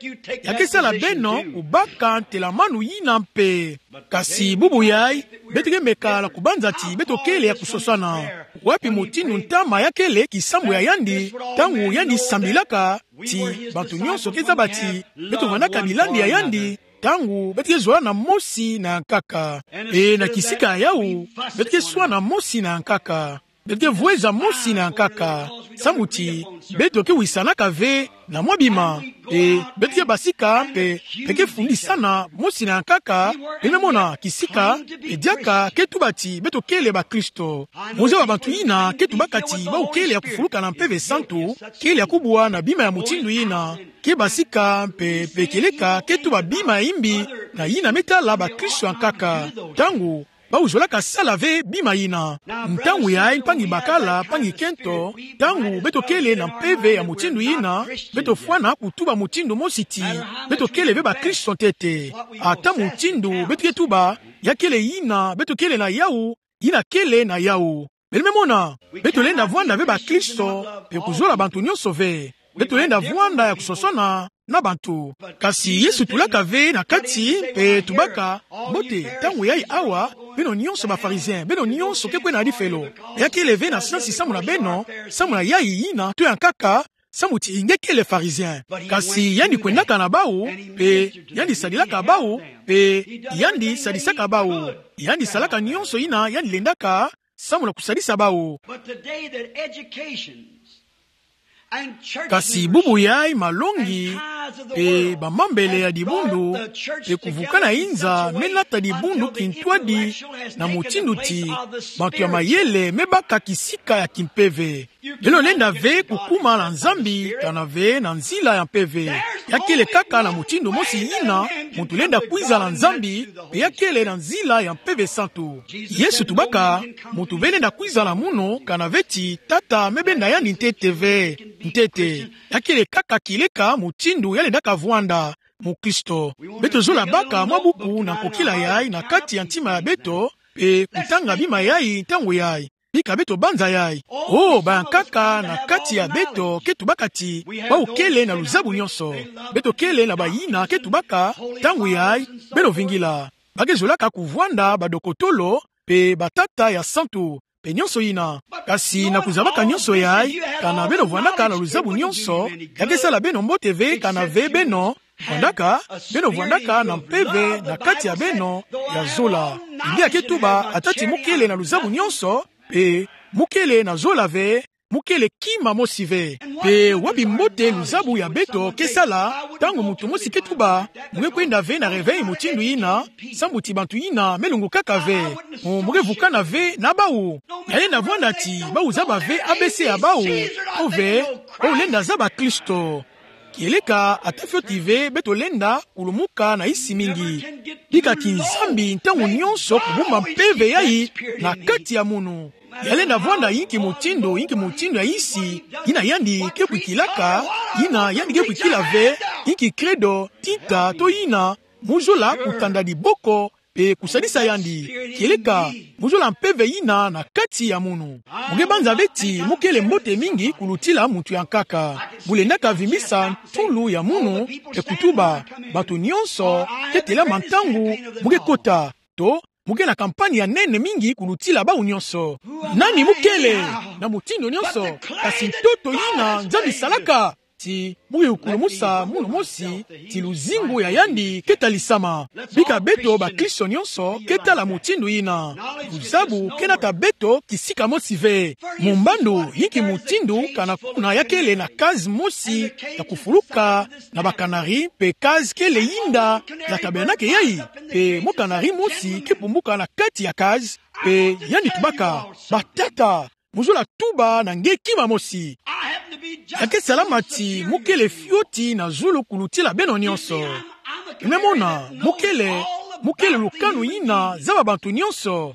ya ke sala beno kubaka ntelamanu yina mpe. Kasi bubu yayi, beto ke meka na kubanza ti beto kele ya kusosana. Wapi mutindu ntama ya kele kisambu ya yandi, ntangu yandi sambilaka, ti bantu nyonso ke zaba ti beto vandaka bilandi ya yandi, ntangu beto ke zola na mosi na ya nkaka. Pe na kisika yawu, beto ke swana mosi na ya nkaka. Beto ke vweza mosi na ya nkaka. Samu ti beto ke wisanaka ve na mwa bima. Pe beto ke basika mpe, mpe ke fundisana mosi na ya nkaka. Beno mona kisika, pe diaka ke tuba ti beto kele bakristo. Mu zaba bantu yina ke tubaka ti bawu kele ya kufuluka na Mpeve Santu, kele ya kubwa na bima ya mutindu yina, ke basika mpe, mpe kieleka ke tuba bima ya imbi na yina me tala bakristo ya nkaka. Ntangu bawu zolaka sala ve bima yina. Ntangu yayi mpangi bakala, mpangi kento, ntangu beto kele na mpeve ya mutindu yina, beto fwana kutuba mutindu mosi ti beto kele ve bakristo ntete. Ata mutindu beto ke tuba, ya kele yina beto kele na yawu, yina kele na yawu. Beno me mona, beto lenda vwanda ve bakristo, mpe kuzola bantu nyonso ve. Beto lenda vwanda ya kusosona na bantu. Kasi Yesu tulaka ve na kati, mpe tubaka: Mbote, ntangu yayi awa, beno nyonso ba pharisiens, beno nyonso ke kwenda na difelo. Ya kele ve na siansi samu na beno, samu na yayi yina to ya nkaka, samu ti nge kele pharisien. Kasi yandi kwendaka na bawu, mpe yandi sadilaka bawu, mpe yandi sadisaka bawu. Yandi salaka nyonso yina yandi lendaka, samu na kusadisa bawu. But today that educations and churches, kasi bubu yayi malongi, and tithes of the world, mpe bamambele ya dibundu, mpe kuvukana inza, me nata dibundu kintwadi, na mutindu ti bantu ya mayele me baka kisika ya kimpeve. Beno lenda ve kukuma na Nzambi, kana ve na nzila ya mpeve. Ya kele kaka na mutindu mosi yina muntu lenda kwiza na Nzambi, mpe ya kele na nzila ya Mpeve Santu. Yesu tubaka: Muntu ve lenda kwiza na munu, kana ve ti Tata me benda yandi ntete ve. Ntete. Ya kele kaka kieleka mutindu ya lendaka vwanda mukristo. Beto zola baka mwa buku na nkokila yayi na kati ya ntima ya beto, mpe kutanga bima yayi ntangu yayi. Bika beto banza yayi. Oh, ba ya nkaka na kati ya beto ke tubaka ti bawu kele na luzabu nyonso. Beto kele na bayina ke tubaka, ntangu yayi, beno vingila. Ba ke zolaka kuvwanda badokotolo, mpe batata ya santu, mpe nyonso yina. Kasi na kuzabaka nyonso yayi, kana beno vwandaka na luzabu nyonso, ya ke sala beno mbote ve kana ve beno vwandaka, beno vwandaka na mpeve na kati ya beno ya zola. Biblia ke tuba ata ti mu kele na luzabu nyonso, mpe mu kele na zola ve, mu kele kima mosi ve. Mpe wapi mbote luzabu ya beto ke sala, ntangu muntu mosi ke tuba: Mu nge kwenda ve na réveil mutindu yina, samu ti bantu yina me lungukaka ve. Mu, mu nge vukana ve na bawu. Ya lenda vwanda ti bawu zaba ve A B C ya bawu, to ve, bawu lenda zaba Kristo. Kieleka ata fioti ve beto lenda kulumuka na yisi mingi. Bika ti Nzambi ntangu nyonso kubumba mpeve yayi na kati ya munu. Ya lenda vwanda yinki mutindu, yinki mutindu ya yisi yina yandi ke kwikilaka, yina yandi ke kwikila ve, yinki credo, tinta, to yina, mu zola kutanda diboko, mpe kusadisa yandi. Kieleka, mu zola mpeve yina na kati ya munu. Mu nge banza ve ti mu kele mbote mingi kulutila muntu ya nkaka. Mu lendaka vimbisa ntulu ya munu, mpe kutuba: Bantu nyonso, ke telama ntangu mu nge kota. To, mu nge na kampani ya nene mingi kulutila bawu nyonso. Nani mu kele? Na mutindu nyonso, kasi ntoto yina Nzambi salaka. ti mu kikulumusa munu mosi ti luzingu ya yandi ke talisama. Bika beto bakristo nyonso ke tala mutindu yina. Luzabu ke nata beto kisika mosi ve. Mumbandu yinki mutindu kana kuna ya kele na case mosi ya kufuluka na bakanari, mpe case kele yinda ya tabianaka yayi. Mpe mwa kanari mosi ke pumbuka na kati ya case, mpe yandi tubaka: Batata, muzolele tuba na nge kima mosi. Ya ke salama ti mu kele fioti na zulu kulutila beno nyonso. Mu me mona, mu kele, mu kele lukanu yina zaba bantu nyonso.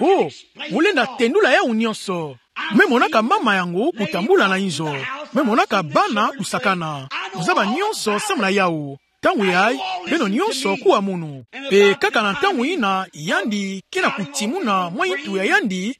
Oh, mu lenda tendula yawu nyonso. Mu me monaka mama yango kutambula na inzo. Mu me monaka bana kusakana. Mu zaba nyonso samu na yawu. Ntangu yayi, beno nyonso kuwa munu. Mpe kaka na ntangu yina yandi ke na kutimuna mwa yintu ya yandi,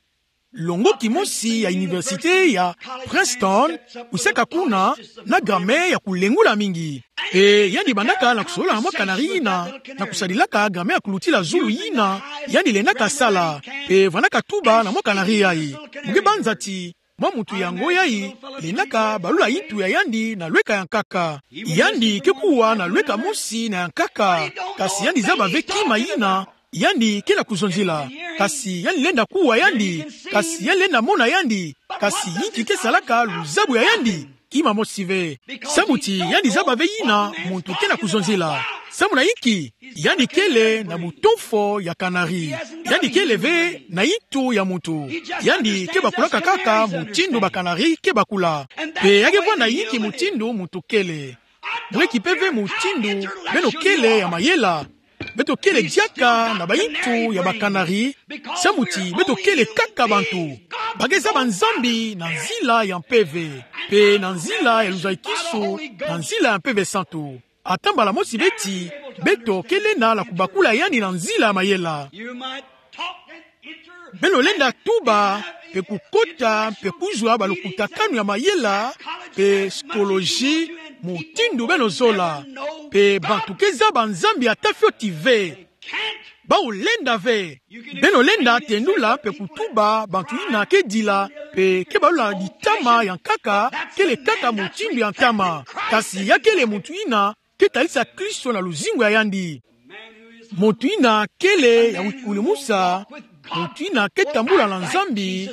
longoki mosi ya université ya Princeton kwisaka kuna na grammaire ya kulengula mingi. Mpe yandi bandaka na kusolola na mwa kanari yina, na kusadilaka grammaire ya kulutila zulu yina yandi lendaka sala. Mpe vandaka tuba na mwa kanari yayi. Mu ke banza ti mwa muntu yango yayi lendaka balula yintu ya yandi na lweka ya nkaka. Yandi ke kuwa na lweka mosi na ya nkaka, kasi yandi zaba ve kima yina yandi ke na kuzonzila. Kasi yandi lenda kuwa yandi, kasi yandi lenda mona yandi, kasi yinki ke salaka luzabu ya yandi? Kima mosi ve. Samu ti yandi zaba ve yina muntu ke na kuzonzila. Samu na yinki? Yandi kele na butonfo ya kanari. Yandi kele ve na yintu ya muntu. Yandi ke bakulaka kaka mutindu bakanari ke bakula. Mpe ya ke vwanda yinki mutindu muntu kele. Mu leki mpe ve mutindu beno kele ya mayela. Beto kele diaka na bayintu ya bakanari, samu ti beto kele kaka bantu. Ba ke zaba Nzambi na nzila ya mpeve, mpe na nzila ya luzayikisu, na nzila ya Mpeve Santu. Ata mbala mosi beti, beto ke lenda na kubakula yandi na nzila ya mayela. Beno lenda tuba, mpe kukota, mpe kuzwa balukutakanu ya mayela, mpe psychologie, mutindu beno zola. Mpe bantu ke zaba Nzambi ata fioti ve. Bawu lenda ve. Beno lenda tendula mpe kutuba bantu yina ke dila, mpe ke balula ditama ya nkaka, kele kaka mutindu ya ntama. Kasi ya kele muntu yina ke talisa Kristo na luzingu ya yandi. Muntu yina kele ya wikulumusa, muntu yina ke tambula na Nzambi,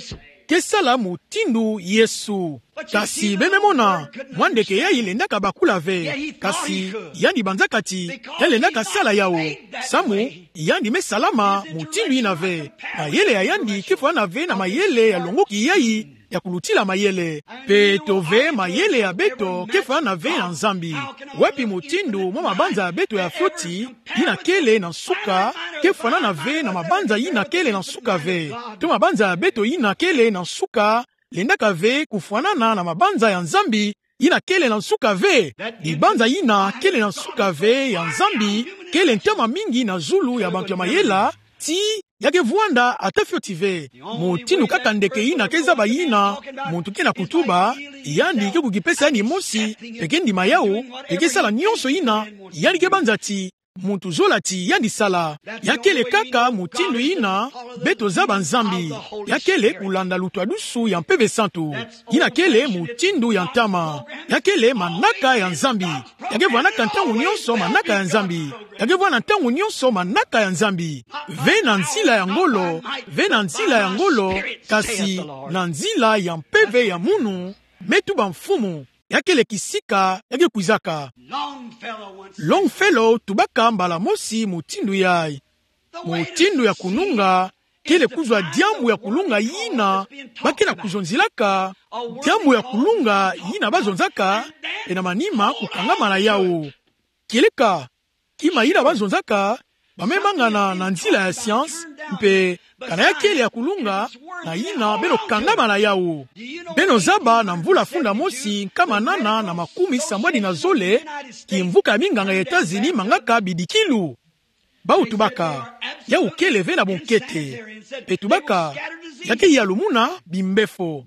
ke sala mutindu Yesu. Kasi beno mona, mwa ndeke yayi lendaka bakula ve. Kasi yandi banzaka ti yandi lendaka sala yawu. Samu yandi me salama mutindu yina ve. Mayele ya yandi ke fwana ve na mayele ya longoki yayi ya kulutila mayele. Mpe beto ve, mayele ya beto ke fwana ve na Nzambi. Wapi mutindu mwa mabanza ya beto ya fioti, yina kele na nsuka, ke fwanana ve na mabanza yina kele na nsuka ve? To mabanza ya beto yina kele na nsuka lendaka ve kufwanana na mabanza ya Nzambi yina kele na nsuka ve? Libanza yina kele na nsuka ve ya Nzambi kele ntama mingi na zulu ya bantu ya mayela, ti ya ke vwanda ata fioti ve. Mutindu kaka ndeke yina ke zaba yina muntu ke na kutuba, yandi ke kukipesa yandi mosi, mpe ke ndima yawu, mpe ke sala nyonso yina yandi ke banza ti muntu zola ti yandi sala. Ya kele kaka mutindu yina beto zaba Nzambi. Ya kele kulanda lutwadusu ya Mpeve Santu. Yina kele mutindu ya ntama. Ya kele manaka ya Nzambi. Ya ke vwanaka ntangu nyonso manaka ya Nzambi. Ya ke vwanda ntangu nyonso manaka ya Nzambi. Ve na nzila ya ngolo, ve na nzila ya ngolo, kasi na nzila ya mpeve ya munu, me tuba Mfumu. Ya kele kisika ya ke kwizaka. Longfellow tubaka mbala mosi mutindu yayi. Mutindu ya kununga kele kuzwa diambu ya kulunga yina ba ke na kuzonzilaka, diambu ya kulunga yina ba zonzaka, mpe na manima kukangama na yawu. Kieleka, kima yina ba zonzaka, ba me mangana na nzila ya science, mpe kana ya kele ya kulunga, na yina beno kangama na yawu. Beno zaba na mvula funda mosi nkama nana na makumi sambwadi na zole, kimvuka ya minganga ya Etats-Unis mangaka bidikilu. Bawu tubaka, yawu kele ve na bunkete. Mpe tubaka, ya ke yalumuna bimbefo.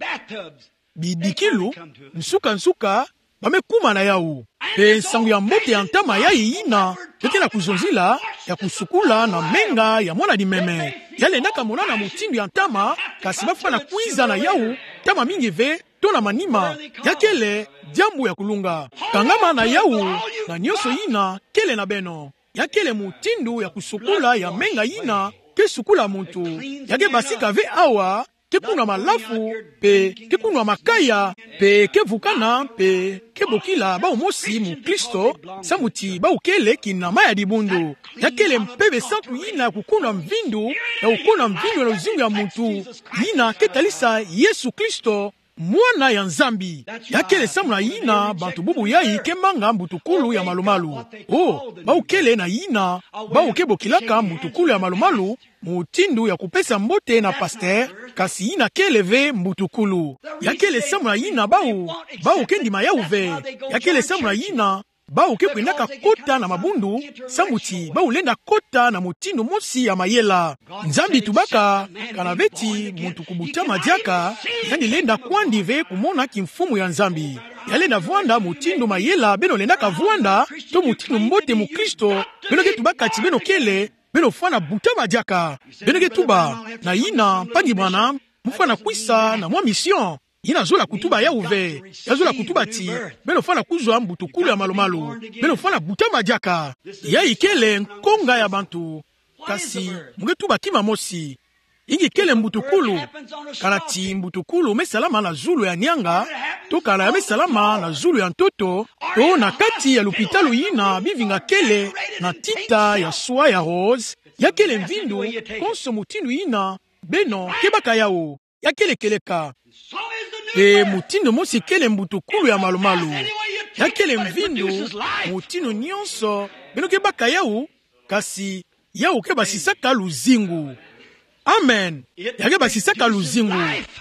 Bidikilu, nsuka-nsuka, ba me kuma na yawu. Mpe nsangu ya mbote ya ntama yayi yina ba ke na kuzonzila, ya kusukula na menga ya mwana-dimeme. Ya lendaka monana mutindu ya ntama, kasi ba fwana kwiza na yawu, ntama mingi ve, to na manima, ya kele diambu ya kulunga. Kangama na yawu, na nionso yina kele na beno. Ya kele mutindu ya kusukula ya menga yina ke sukula muntu. Ya ke basika ve awa, ke kunwa malafu, pe ke kunwa makaya, pe ke vukana, pe ke bokila bawu mosi mukristo, samu ti bawu kele kinama ya dibundu. Ya kele mpeve santu yina ya kukunwa mvindu, ya kukunwa mvindu na luzingu ya muntu, yina ke talisa Yesu Kristo, Mwana ya Nzambi. Ya kele samu na yina bantu bubu yayi ke manga mbutukulu ya malumalu. O, bawu kele na yina, bawu ke bokilaka mbutukulu ya malumalu, mutindu ya kupesa mbote na pasteur, kasi yina kele ve mbutukulu. Ya kele samu na yina bawu, bawu ke ndima yawu ve. Ya kele samu na yina, bawu ke kwendaka kota na mabundu, samu ti bawu lenda kota na mutindu mosi ya mayela. Nzambi tubaka, kana ve ti muntu kubutama diaka, yandi lenda kwandi ve kumona kimfumu ya Nzambi. Ya lenda vwanda mutindu mayela beno lendaka vwanda, to mutindu mbote mukristo beno ke tubaka ti beno kele, beno fwana butama diaka. Beno ke tuba, na yina, mpangi mwana, mufwana kwisa na mwa mission. Yina zola kutuba yawu ve. Ya zola kutuba ti, beno fwana kuzwa mbutukulu ya malumalu. Beno fwana butama diaka. Yayi kele nkonga ya bantu. Kasi, mu ke tuba kima mosi. Ingi kele mbutukulu. Kana ti mbutukulu me salama na zulu ya nianga, to kana ya me salama na zulu ya ntoto, to na kati ya lupitalu yina bivinga kele na tita ya swa ya rose, ya kele mvindu, konso mutindu yina, beno ke baka yawu. Ya kele kieleka. Pe mutindu mosi kele mbutukulu ya malumalu. Ya kele mvindu, mutindu nionso, beno ke baka yawu, kasi yawu ke basisaka luzingu. Amen. Ya ke basisaka luzingu.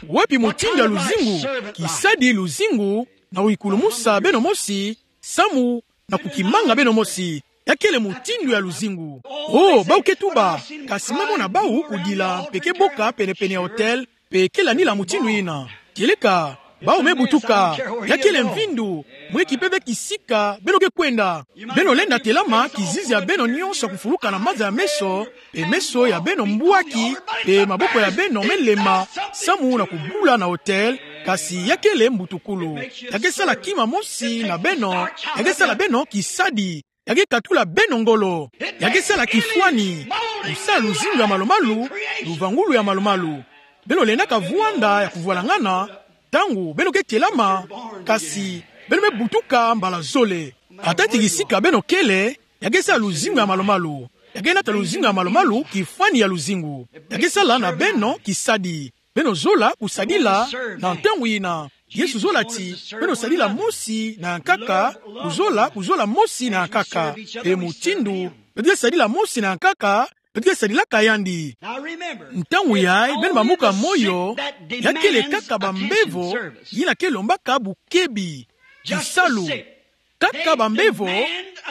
Wapi mutindu ya luzingu? Kisadi luzingu, na kuyikulumusa beno mosi, samu na kukimanga beno mosi. Ya kele mutindu ya luzingu. O, bawu ke tuba, kasi me mona bawu kudila, pe ke boka pene-pene ya autel, pe ke landila mutindu yina. Kieleka, bawu me butuka, ya kele mvindu, mu ke kipe ve kisika, beno ke kwenda. Beno lenda telama, kizizi ya beno nionso kufuluka na maza ya meso, pe meso ya beno mbwaki, pe maboko ya beno me lema, samu na kubula na autel, kasi ya kele mbutukulu. Ya ke sala kima mosi na beno, ya ke sala beno kisadi, ya ke katula beno ngolo, ya ke sala kifwani, kusala luzingu ya malumalu, luvangulu ya malumalu. Beno lendaka vwanda ya kuvwalangana, ntangu beno ke telama, kasi beno me butuka mbala zole. Ata ti kisika beno kele, ya ke sala luzingu ya malumalu. Ya ke nata luzingu ya malumalu, kifwani ya luzingu. Ya ke sala na beno kisadi. Beno zola kusadila na ntangu yina. Yesu zola ti, beno sadila mosi na yankaka, kuzola, kuzola mosi na yankaka. Pe mutindu, beto ke sadila mosi na yankaka, beto ke sadilaka yandi. Ntangu yayi, beno bambuka moyo, ya kele kaka bambevo, yina ke lombaka bukebi. Kisalu. Kaka bambevo,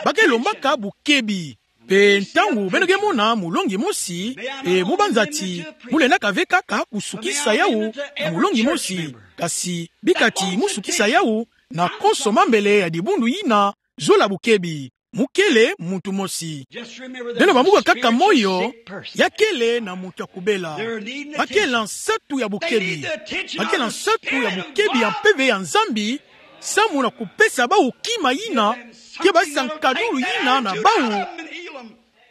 ba ke lombaka bukebi. Pe ntangu beno ke mona mulongi mosi, pe mu banza ti, mu lendaka ve kaka kusukisa yawu na mulongi mosi, kasi bika ti mu sukisa yawu na konso mambele ya dibundu yina, zola bukebi. Mu kele muntu mosi. Beno bambuka kaka moyo, ya kele na muntu ya kubela. Ba kele na nsatu ya bukebi. Ba kele na nsatu ya bukebi ya mpeve ya Nzambi, samu na kupesa bawu kima yina ke basisa nkadulu yina na bawu,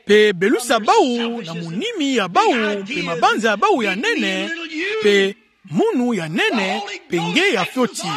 pe belusa bawu na munimi ya bawu, pe mabanza ya bawu ya nene, pe munu ya nene, pe nge ya fioti.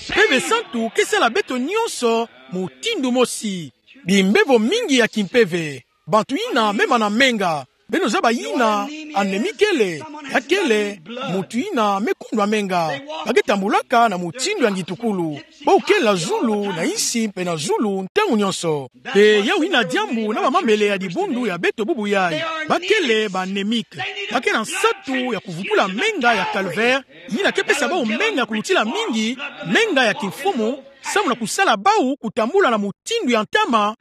Mpeve santu ke sala beto nionso mutindu mosi. Bimbevo mingi ya kimpeve. Bantu yina me mana menga. Beno zaba yina anémie kele, ya kele muntu yina me kundwa menga. Ba ke tambulaka na mutindu ya ngitukulu. Bawu kele na zulu, na nsi mpe na zulu, ntangu nionso. Pe yawu yina diambu na bamambele ya dibundu ya beto bubu yayi. Ba kele ba anémique. Ba kele na nsatu ya kuvutula menga ya calvaire, yina ke pesa bawu menga ya kulutila mingi, menga ya kimfumu, samu na kusala bawu kutambula na mutindu ya ntama.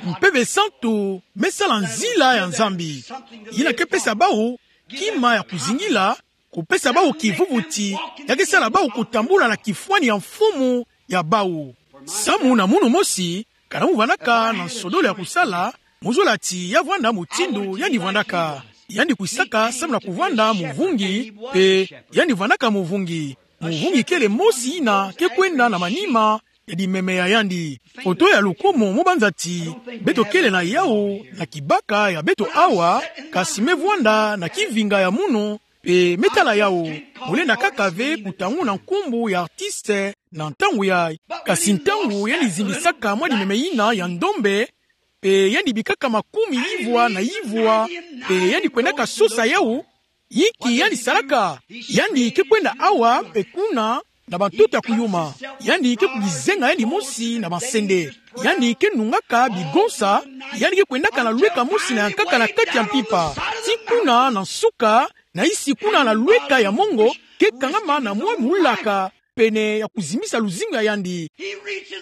Mpeve santu me sala nzila ya Nzambi. Yina ke pesa bawu kima ya kuzingila, kupesa bawu kivuvuti, ya ke sala bawu kutambula na kifwani ya mfumu ya bawu. Samu na munu mosi, kana mu vandaka na nsodolo ya kusala, mu zola ti ya vwanda mutindu yandi vandaka. Yandi kwisaka samu na kuvwanda muvungi, pe yandi vandaka muvungi. Muvungi kele mosi yina ke kwenda na manima ya dimeme ya yandi. Foto ya lukumu, mo banza ti beto kele na yawu na kibaka ya beto awa, kasi me vwanda na kivinga ya munu, pe me tala yawu. Mo lenda kaka ve kutanguna nkumbu ya artiste na ntangu yayi. Kasi ntangu yandi zimbisaka mwa dimeme yina ya ndombe, pe yandi bikaka makumi yivwa na yivwa, pe yandi kwendaka sosa yawu, inki yandi salaka? Yandi ke kwenda awa pe kuna na bantoto ya kuyuma. Yandi ke kubizenga yandi mosi na masende. Yandi ke nungaka bigonsa. Yandi ke kwendaka na lweka mosi na yankaka na kati ya mpimpa. Ti kuna na nsuka, na yisi kuna na lweka ya mongo, ke kangama na mwa mulaka pene ya kuzimbisa luzingu ya yandi.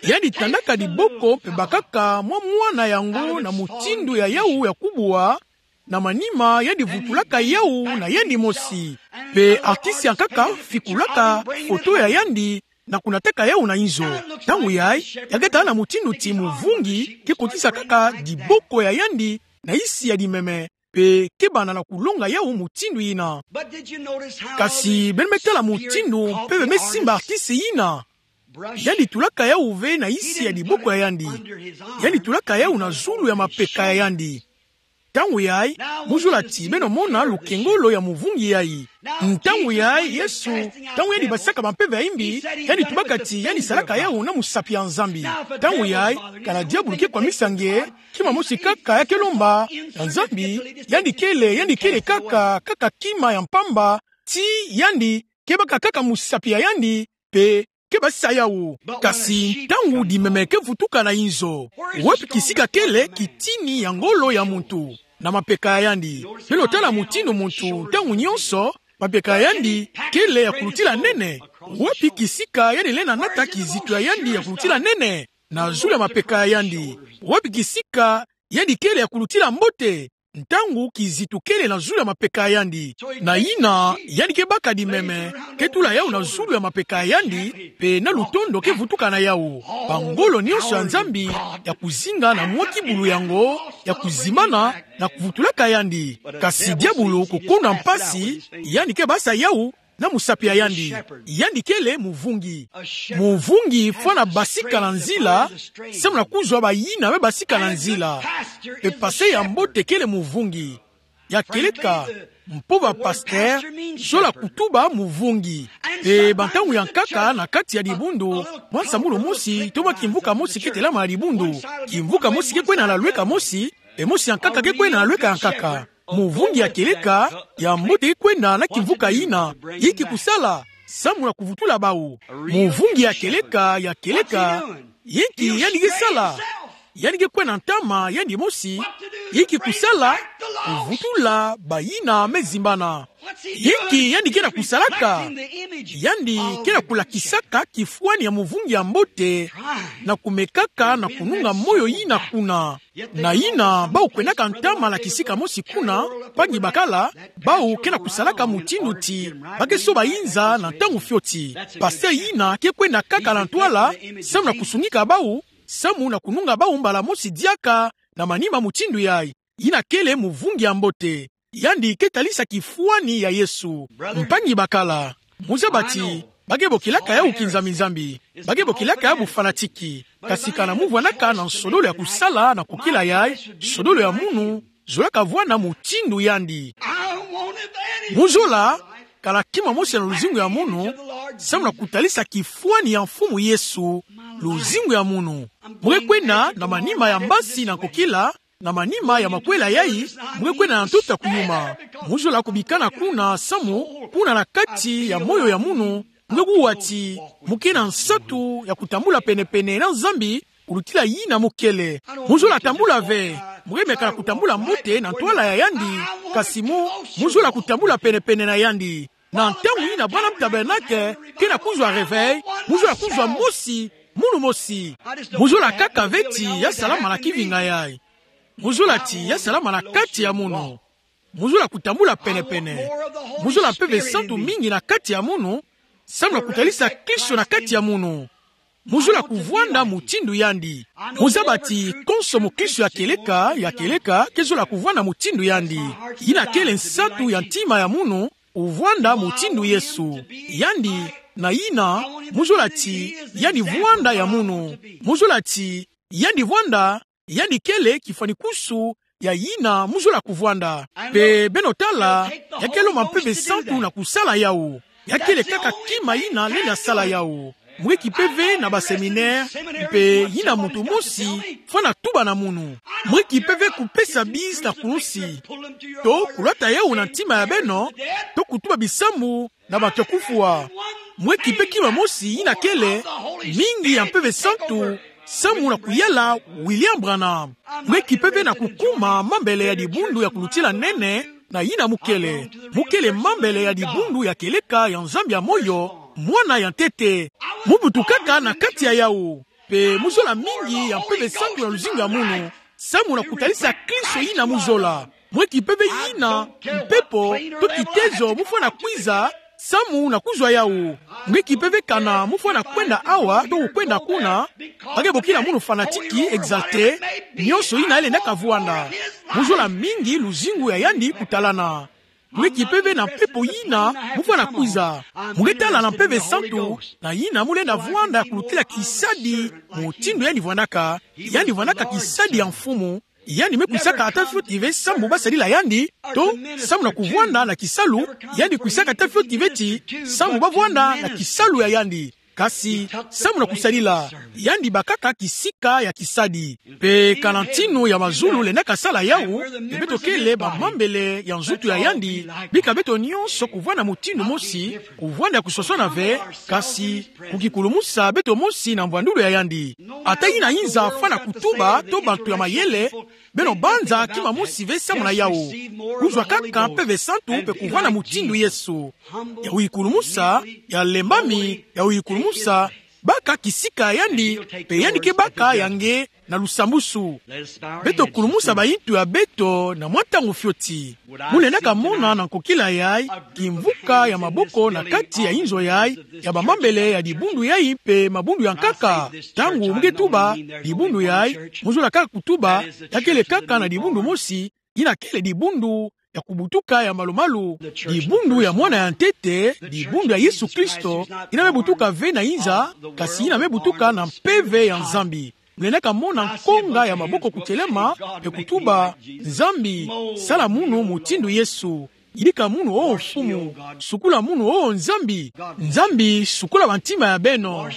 Yandi tandaka diboko pe bakaka mwa mwana yango na mutindu ya yawu ya kubwa, na manima yandi vutulaka yawu na yandi mosi. Pe artiste ya nkaka fikulaka foto ya yandi na kunataka yawu na inzo. Ntangu yayi, ya ke tala na mutindu ti muvungi ke kotisa kaka diboko ya yandi na yisi ya dimeme, pe ke banda na kulonga yawu mutindu yina. Kasi beno me tala mutindu pe beno me simba artiste yina. Yandi tulaka yawu ve na yisi ya diboko ya yandi. Yandi tulaka yawu na zulu ya mapeka ya yandi. Ntangu yayi, mo zola ti beno mona lukengolo ya muvungi yayi. Ntangu yayi, Yesu, ntangu yandi batisaka bampeve ya imbi, yandi tubaka ti yandi salaka yawu na musapi ya Nzambi. Ntangu yayi, kana diabulu ke kwamisa nge, kima mosi kaka ya ke lomba na Nzambi, yandi kele, yandi kele kaka, kaka kima ya mpamba, ti yandi ke baka kaka musapi ya yandi, pe ke basisa yawu. Kasi ntangu dimeme ke vutuka na inzo, wapi kisika kele kitini ya ngolo ya muntu? Na mapeka ya yandi. Beno tala mutindu muntu, ntangu nyonso, mapeka ya yandi kele ya kulutila nene. Wapi kisika yandi lenda nata kizitu ya yandi ya kulutila nene? Na zulu ya mapeka ya yandi. Wapi kisika yandi kele ya kulutila mbote? Ntangu kizitu kele na zulu ya mapeka ya yandi. Na yina, yandi ke baka dimeme, ke tula yawu na zulu ya mapeka ya yandi, pe na lutondo ke vutuka na yawu. Bangolo nyonso ya Nzambi ya kuzinga na mwa kibulu yango, ya kuzimbana, na kuvutulaka yandi. Kasi diabulu, kokondo ya mpasi, yandi ke basisa yawu na musapi ya yandi. Yandi kele muvungi. Muvungi fwana basika na nzila, samu na kuzwa bayina me basika na nzila. Pe pasteur ya mbote kele muvungi. Ya kieleka, mpova pasteur zola kutuba muvungi. Pe bantangu ya nkaka na kati ya dibundu, mwa nsambulu mosi, to mwa kimvuka mosi ke telama na dibundu. Kimvuka mosi ke kwenda na lweka mosi, e mosi ya nkaka ke kwenda na lweka ya nkaka. Muvungi ya kieleka, ya mbote ke kwenda na kimvuka yina. Inki kusala? Samu na kuvutula bawu. Muvungi ya kieleka, ya kieleka, inki yandi ke sala? Yandi ke kwenda ntama yandi mosi. Inki kusala? Kuvutula bayina me zimbana. Inki yandi ke na kusalaka? Yandi ke na kulakisaka kifwani ya muvungi ya mbote, na kumekaka na kununga moyo yina kuna. Na yina, bawu kwendaka ntama na kisika mosi kuna, mpangi bakala, bawu ke na kusalaka mutindu ti ba ke soba inza na ntangu fioti. Pasteur yina ke kwenda kaka na ntwala, samu na kusunika bawu, samu na kununga bawu mbala mosi diaka, na manima mutindu yayi. Yina kele muvungi ya mbote. Yandi ke talisa kifwani ya Yesu. Mpangi bakala, muzaba ti ba ke bokilaka yawu kinzambi-nzambi. Ba ke bokilaka yawu fanatique. Kasi kana mu vwandaka na nsodolo ya kusala na kukila yayi, nsodolo ya munu zolaka vwanda mutindu yandi. Mu zola kana kima mosi na luzingu ya munu, samu na kutalisa kifwani ya Mfumu Yesu, luzingu ya munu. Mu ke kwenda na manima ya mbasi na kukila, na manima ya makwela yayi, mu ke kwenda na ntoto ya kuyuma. Mu zola kubikana kuna samu, kuna na kati ya moyo ya munu, mu ke kuwa ti mu ke na nsatu ya kutambula pene-pene na Nzambi, kulutila yina mu kele. Mu zola tambula ve, mu ke meka na kutambula mbote na ntwala ya yandi, kasi mu, mu zola kutambula pene-pene na yandi. Na ntangu yina bwana tabernacle ke na kuzwa réveil, mu zola kuzwa mosi, munu mosi. Mu zola kaka ve ti ya salama na kivinga yayi. Mu zola ti ya salama na kati ya munu. Mu zola kutambula pene-pene. Mu zola Mpeve Santu mingi na kati ya munu, samu na kutalisa Kristo na kati ya munu. Mu zola kuvwanda mutindu yandi. Mu zaba ti konso mukristo ya kieleka, ya kieleka, ke zola kuvwanda mutindu yandi. Yina kele nsatu ya ntima ya munu, kuvwanda mutindu Yesu. Yandi, na yina mu zola ti yandi vwanda ya munu. Mu zola ti yandi vwanda, yandi kele kifwani kusu ya yina mu zola kuvwanda. Mpe beno tala, ya kele mpeve santu na kusala yawu. Ya kele kaka kima yina lenda sala yawu. Mwe ki mpeve na baseminere, mpe yina muntu mosi fwana tuba na munu. Mwe ki mpeve kupesa bise na kulusi, to kulwata yawu na ntima ya beno, to kutuba bisambu na bato ya kufwa. Mwe ki mpe kima mosi yina kele mingi ya mpeve santu, samu na kuyala William Branham. Mwe ki mpeve na kukuma mambele ya dibundu ya kulutila nene na yina mu kele. Mu kele mambele ya dibundu ya kieleka ya Nzambi ya moyo, Mwana ya ntete. Mu butukaka na kati ya yawu. Mpe mu zola mingi ya mpeve santu ya luzingu ya munu, samu na kutalisa Kristo yina mu zola. Mwe ki mpeve yina mpepo to kitezo mu fwana kwiza, samu na kuzwa yawu. Mwe ki mpeve kana mu fwana kwenda awa to kukwenda kuna, ba ke bokila munu fanatique, exalté, nionso yina lenda kavwanda. Mu zola mingi luzingu ya yandi kutalana. Mwe ki mpeve na mpepo yina mu fwana kwiza. Mu ke tala na mpeve santu na yina mu lenda vwanda kulutila kisadi, mutindu yandi vwandaka. Yandi vwandaka kisadi ya mfumu. Yandi me kwisaka ata fioti ve samu ba sadila yandi, to samu na kuvwanda na kisalu. Yandi kwisaka ata fioti ve ti samu ba vwanda na kisalu ya yandi, kasi samu na kusadila. Yandi bakaka kisika ya kisadi. Mpe kana ntinu ya mazulu lendaka sala yawu, mpe beto kele bamambele ya nzutu ya yandi, bika beto nionso kuvwanda mutindu mosi, kuvwanda ya kuswaswana ve, kasi kukikulumusa beto mosi na mvwandulu ya yandi. Ata yina yinza fwana kutuba to bantu ya mayele, beno banza kima mosi ve samu na yawu. Kuzwa kaka mpeve santu mpe kuvwanda mutindu Yesu. Ya kukikulumusa, ya lembami, ya kukikulumusa, baka kisika ya yandi, mpe yandi ke baka ya nge na lusambusu. Beto kulumusa bayintu ya beto na mwa ntangu fioti. Mu lendaka mona na nkokila yayi kimvuka ya maboko na kati ya inzo yayi, ya bamambele ya dibundu yayi mpe mabundu ya nkaka. Ntangu mu ke tuba dibundu yayi, mu zola kaka kutuba ya kele kaka na dibundu mosi, yina kele dibundu ya kubutuka ya malumalu, dibundu ya Mwana ya ntete, dibundu ya Yesu Kristo, yina me butuka ve na inza, kasi yina me butuka na mpeve ya Nzambi. Mu lendaka mona nkonga ya maboko kutelema, mpe kutuba: Nzambi, sala munu mutindu Yesu. Yidika munu, o Mfumu. Sukula munu, o Nzambi. Nzambi, sukula bantima ya beno.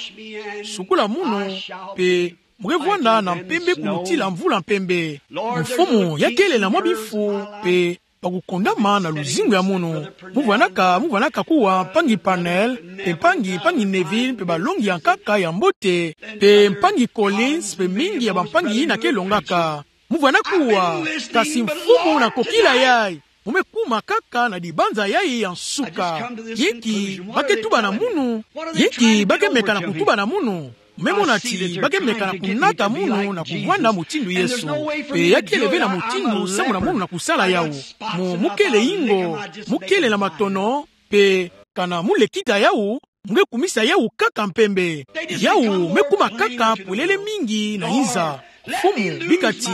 Sukula munu, mpe mu ke vwanda na mpembe kulutila mvula mpembe. Mfumu, ya kele na mwa bimfu mpe ba kukondama na luzingu ya munu. Mu vwanaka, mu vwanaka kuwa mpangi Parnell, mpe mpangi, mpangi Neville, mpe balongi ya nkaka ya mbote, mpe mpangi Collins, mpe mingi ya bampangi yina ke longaka. Mu vwana kuwa, kasi Mfumu, na nkokila yayi, mu me kuma kaka na dibanza yayi ya nsuka. Inki ba ke tuba na munu? Inki ba ke meka na kutuba na munu? Mu me mona ti ba ke meka na kunata munu na kuvwanda mutindu Yesu. Mpe ya kele ve na mutindu samu na munu na kusala yawu. Mu, mu kele ingo, mu kele na matono, mpe kana mu lekita yawu, mu ke kumisa yawu kaka mpembe. Yawu me kuma kaka polele mingi na inza. Mfumu, bika ti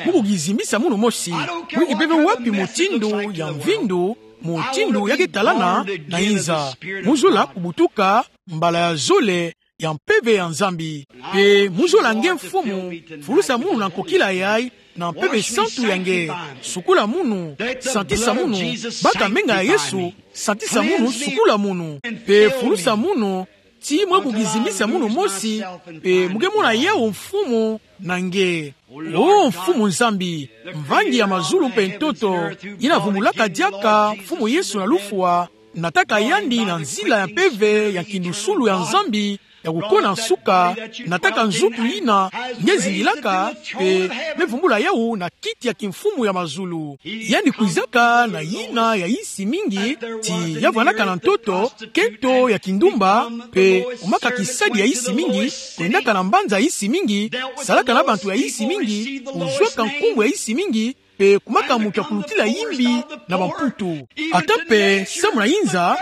mu kukizimbisa munu mosi. Mu yinki mpeve wapi mutindu ya mvindu, mutindu ya ke talana na inza. Mu zola kubutuka mbala ya zole ya mpeve ya Nzambi. Mpe mu zola nge, Mfumu, fulusa munu na nkokila yayi, na mpeve santu ya nge. Sukula munu, santisa munu, baka menga ya Yesu, santisa munu, sukula munu. Mpe fulusa munu, ti mu kukizimbisa munu mosi, mpe mu ke mona yawu, Mfumu, na nge. O Mfumu Nzambi, mvangi ya mazulu mpe ntoto, yina vumbulaka diaka Mfumu Yesu na lufwa, nataka yandi na nzila ya mpeve ya nkindusulu ya Nzambi, ya kukona nsuka, nataka nzutu yina nge zingilaka, mpe me vumbula yawu na kiti ya kimfumu ya mazulu. Yandi kwizaka na yina ya insi mingi, ti ya vwanaka na ntoto, kento ya kindumba, mpe kumaka kisadi ya insi mingi, kwendaka na mbanza ya insi mingi, salaka na bantu ya insi mingi, kuzwaka nkumbu ya insi mingi, mpe kumaka muntu ya kulutila imbi na bamputu. Ata mpe samu na inza,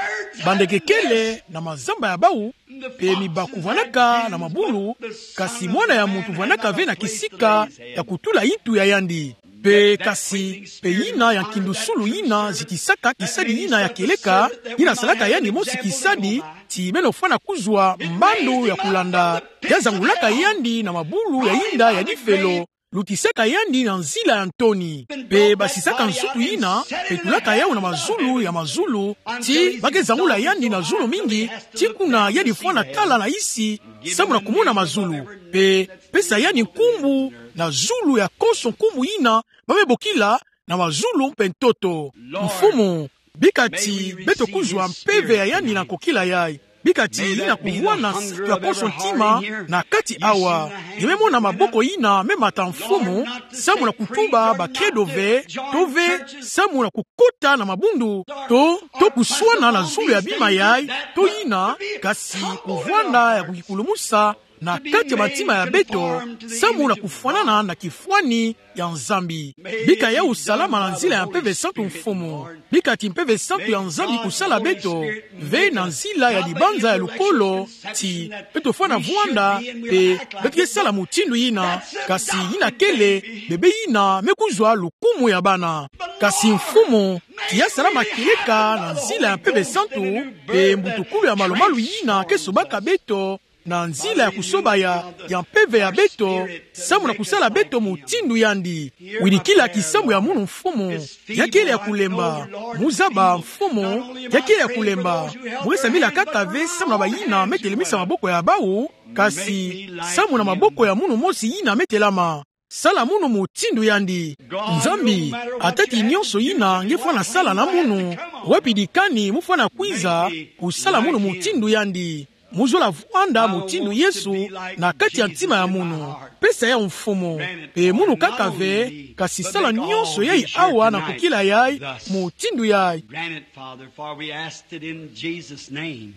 bandeke kele na mazamba ya bawu, mpe miba kuvwanaka na mabulu, kasi Mwana ya Muntu vwanaka ve na kisika ya kutula intu ya yandi. Mpe kasi, mpe yina ya nkindu sulu yina zitisaka kisadi yina ya kieleka, yina salaka yandi mosi kisadi, ti beno fwana kuzwa mbando ya kulanda. Ya zangulaka yandi na mabulu ya yinda ya difelo, lutisaka yandi na nzila ya ntoni. Mpe basisaka nsutu yina, mpe tulaka yawu na mazulu ya mazulu, ti ba ke zangula yandi na zulu mingi, ti kuna yandi fwana tala na yisi, samu na kumona mazulu. Mpe pesa yandi nkumbu na zulu ya konso nkumbu yina ba me bokila na mazulu mpe ntoto. Mfumu, bika ti beto kuzwa mpeve ya yandi na nkokila yayi. Bika ti yina kuvwana nsatu ya konso ntima na kati awa. Nge me mona maboko yina me mata, Mfumu, samu na kutuba bakredo ve, to ve samu na kukota na mabundu, to, to kuswana na zulu ya bima yayi, to yina, kasi kuvwanda ya kukikulumusa na kati ya bantima ya beto, samu na kufwanana na kifwani ya Nzambi. Bika yawu salama na nzila ya Mpeve Santu, Mfumu. Bika ti Mpeve Santu ya Nzambi kusala beto, ve na nzila ya dibanza ya lukolo, ti beto fwana vwanda, mpe beto ke sala mutindu yina, kasi yina kele bebe yina me kuzwa lukumu ya bana. Kasi, Mfumu, ti ya salama kieleka na nzila ya Mpeve Santu, mpe mbutukulu ya malumalu yina ke sobaka beto na nzila ya kusoba ya, ya mpeve ya beto, samu na kusala beto mutindu yandi. Wirikila kisambu ya munu, Mfumu. Ya kele ya kulemba. Mu zaba, Mfumu, ya kele ya kulemba. Mu ke sambila kaka ve samu na bayina me telemisa maboko ya bawu, kasi samu na maboko ya munu mosi yina me telama. Sala munu mutindu yandi. Nzambi, ata ti nionso yina nge fwana sala na munu, wapi dikani mu fwana kwiza kusala munu mutindu yandi. Mu zola vwanda mutindu Yesu na kati ya ntima ya munu. Pesa yawu, Mfumu. Mpe munu kaka ve, kasi sala nionso yayi awa na nkokila yayi, mutindu yayi. Grant it, Father, for we ask it in Jesus' name.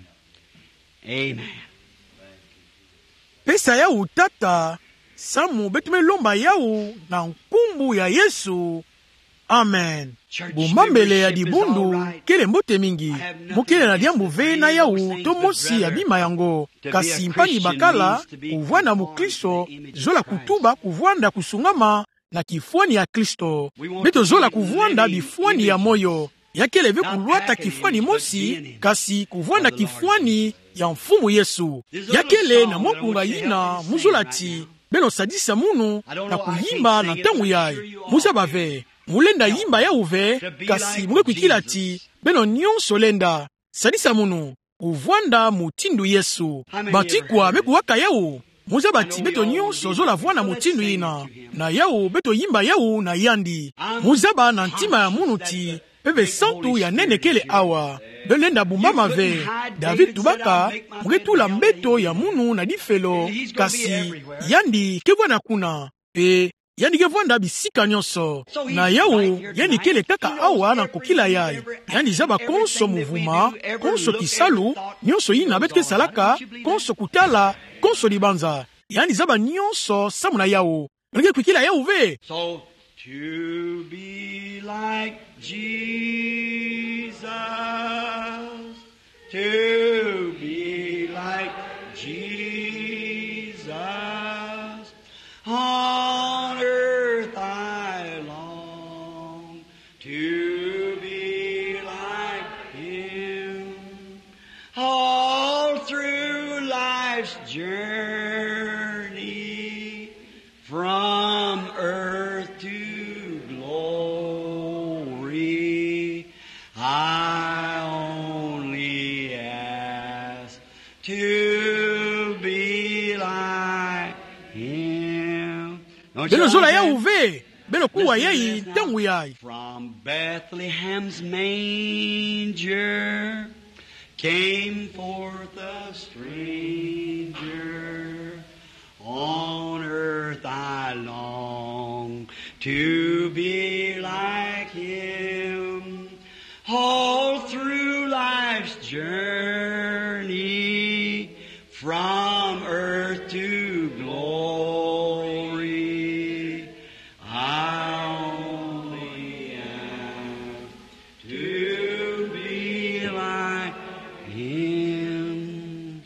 Amen. Pesa yawu, Tata, samu beto me lomba yawu na nkumbu ya Yesu. Amen. Bumbambele ya dibundu kele mbote mingi. Mu kele na diambu ve na yawu to mosi ya bima yango. Kasi mpangi bakala, kuvwanda mukristo, zola kutuba kuvwanda kusungama na kifwani ya Kristo. Beto zola kuvwanda bifwani ya moyo. Ya kele ve kulwata kifwani mosi, kasi kuvwanda kifwani ya Mfumu Yesu. Ya kele na mwa nkunga yina mu zola ti beno sadisa munu na kuyimba na ntangu yayi. Mu zaba ve, mu lenda yimba yawu ve, kasi mu ke kwikila ti beno nionso lenda sadisa munu kuvwanda mutindu Yesu. Bantikwa me kuwaka yawu. Mu zaba ti beto nionso zola vwanda mutindu yina. Na yawu beto yimba yawu na yandi. Mu zaba na ntima ya munu ti Mpeve Santu ya nene kele awa. Beno lenda bumbama ve. David tubaka: Mu ke tula mbeto ya munu na difelo, kasi yandi ke vwanda kuna. Mpe yandi ke vwanda bisika nionso. Na yawu, yandi kele kaka awa na nkokila yayi. Yandi zaba konso muvuma, konso kisalu, nionso yina beto ke salaka, konso kutala, konso dibanza. Yandi zaba nionso samu na yawu. Beno ke kwikila yawu ve. So, to be like Jesus, to be like Jesus, on earth I long to be like him. All through life's journey, from earth to glory, I only ask to be like him. Beno zola yawu ve, beno kuwa yayi ntangu yayi. From Bethlehem's manger came forth a stranger. On earth I long to be like him. All through life's journey, from earth to glory, I only ask to be like him.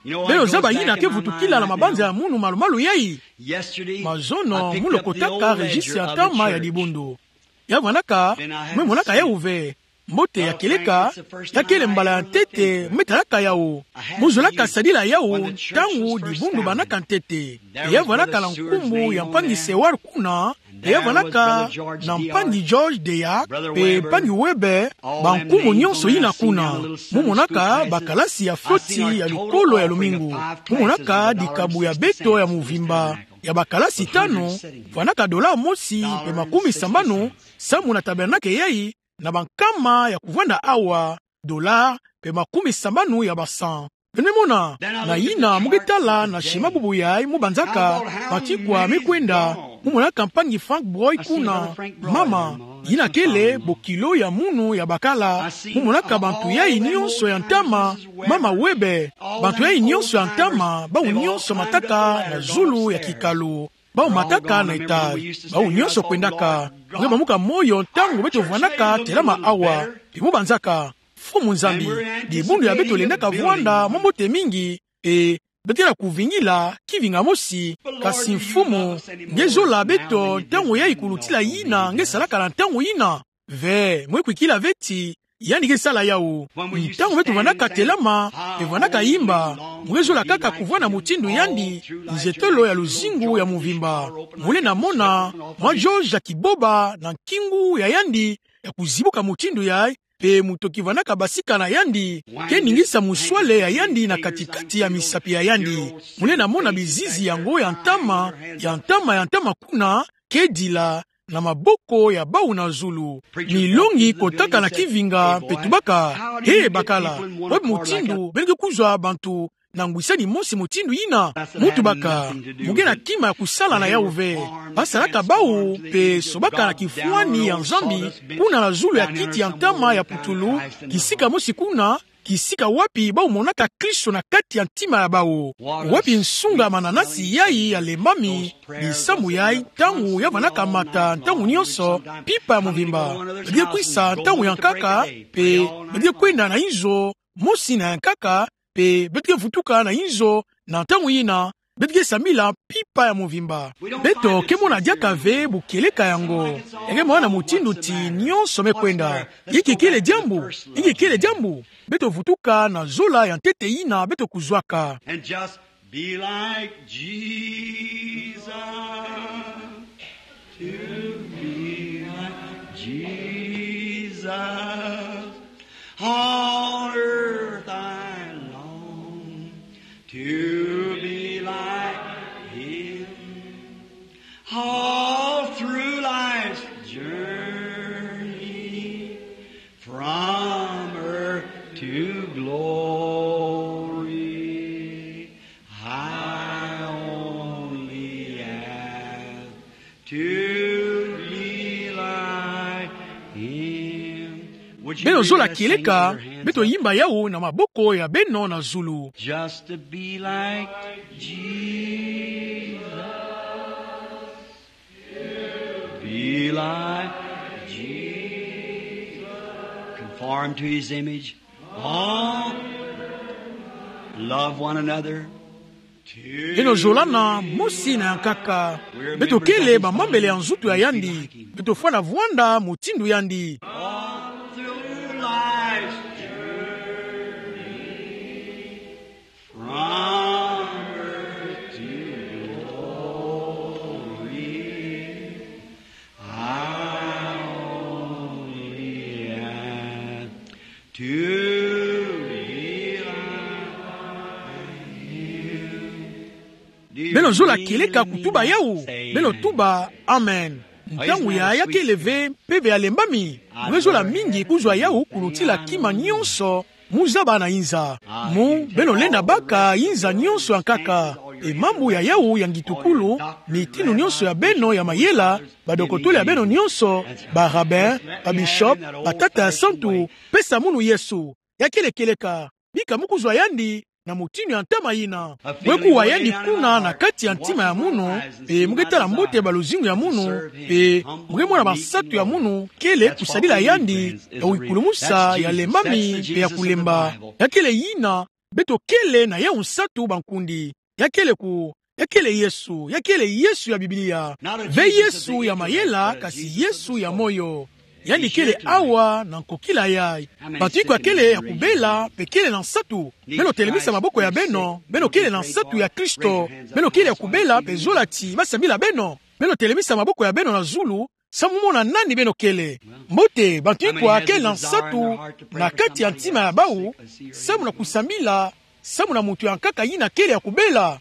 Beno zaba yina ke vutukila na mabanza ya munu malumalu yayi. Mazono, mu lokotaka rejisi ya ntama ya dibundu. Ya vandaka, me monaka yawu ve. Mbote ya kieleka, ya kele mbala ya ntete me talaka yawu. Mu zolaka sadila yawu ntangu dibundu bandaka ntete. Ya vandaka na nkumbu ya mpangi Seward kuna, ya vandaka na mpangi George Deyac, pe mpangi Weber, bankumu nyonso yina kuna. Mu monaka bakalasi ya floti ya lukolo ya lumingu. Mu monaka dikabu ya beto ya muvimba ya bakalasi tanu, vandaka dollar mosi pe makumisambanu, samu na tabernakle yayi, na bankama ya kuvanda awa, dollar pe makumisambanu ya ba cents. Beno mona, na yina mu ketala na shima bubu yayi mu banzaka, matikwa me kwenda, mu monaka mpangi Frank Broy kuna, mama, yina kele bokilo ya munu ya bakala, mu monaka bantu yayi nyonso ya ntama, mama Weber, bantu yayi nyonso ya ntama, bawu nyonso mataka na zulu ya kikalo. Bawu mataka na étage, bawu nyonso kwendaka. Nge bamuka moyo ntangu beto vandaka telama awa, pe mu banzaka, Mfumu Nzambi, dibundu ya beto lendaka vwanda mwa mbote mingi, e, beto ke na kuvingila kivinga mosi, kasi Mfumu, nge zola beto ntangu yayi kulutila yina nge salaka na ntangu yina. Ve, mwe kwikila ve ti, yandi ke sala yawu. Ntangu beto vandaka telama, pe vandaka yimba, mu ke zola kaka kuvwanda mutindu yandi, nzetolo ya luzingu ya muvimba. Mu lenda mona mwa George ya kiboba na nkingu ya yandi, ya kuzibuka mutindu yayi, pe mutoki vandaka basika na yandi ke ningisa muswale ya yandi na kati-kati ya misapi ya yandi. Mu lenda mona bizizi yango ya ntama, ya ntama, ya ntama kuna, ke dila na maboko ya bawu na zulu. Milongi kotaka na kivinga pe tubaka: He bakala, wapi mutindu beno ke kuzwa bantu na ngwisani mosi mutindu yina? Mu tubaka: Mu ke na kima ya kusala na yawu ve. Basalaka bawu pe sobaka na kifwani ya Nzambi kuna na zulu ya kiti ya ntama ya putulu, kisika mosi kuna, kisika wapi bawu monaka Kristo na kati ya ntima ya bawu. Wapi nsunga mananasi yayi ya lembami, bisamu yayi ntangu ya vandaka mata ntangu nyonso, mpimpa ya muvimba. Beto ke kwisa ntangu ya nkaka, pe beto ke kwenda na inzo mosi na ya nkaka, pe beto ke vutuka na inzo na ntangu yina, beto ke sambila mpimpa ya muvimba. Beto ke mona diaka ve bukieleka yango. Ya ke mona mutindu ti nyonso me kwenda. Inki kele diambu? Inki kele diambu? Beto vutuka na zola ya ntete yina beto kuzwaka. And just be like Jesus. To be like Jesus. On earth I long to be like him. All through life's journey, from earth to glory, I only ask to be like him. Beno zola kieleka, beto yimba yawu na maboko ya beno na zulu. Just to be like Jesus. Be like Jesus. Conform to his image. Oh, love one another. Beno zolana mosi na ya nkaka. Beto kele bamembele ya nzutu ya yandi. Beto fwana vwanda mutindu yandi. All through life's journey, from earth to glory, I only ask to be like him. Beno zola kieleka kutuba yawu? Beno tuba: Amen. Ntangu yayi ya kele ve mpeve ya lembami? Mu ke zola mingi kuzwa yawu kulutila kima nyonso mu zaba na inza. Mu beno lenda baka inza nyonso ya nkaka. E mambu ya yawu ya ngitukulu, mitinu nyonso ya beno ya mayela, badokotolo ya beno nyonso, ba rabbin, ba bishop, batata ya santu, pesa munu Yesu. Ya kele kieleka. Bika mu kuzwa yandi na mutindu ya ntama yina. Bwe kuwa yandi kuna na kati ya ntima ya munu, pe mu ke tala mbote ba luzingu ya munu, pe mu ke mona bansatu ya munu kele kusadila yandi, ya wikulumusa, ya lembami, pe ya kulemba. Ya kele yina, beto kele na yawu nsatu bankundi. Ya kele ku Ya kele Yesu, ya kele Yesu ya Biblia. Ve Yesu ya mayela, kasi Yesu ya moyo. Yandi kele awa na nkokila yai. Bantu ikwe ya kele ya kubela, mpe kele na nsatu. Beno telemisa maboko ya beno, beno kele na nsatu ya Kristo. Beno kele ya kubela, mpe zola ti basambila beno. Beno telemisa maboko ya beno na zulu, samu mona nani beno kele. Mbote, bantu ikwa kele na nsatu na kati ya ntima ya bawu, samu na kusambila, samu na muntu ya nkaka yina kele ya kubela.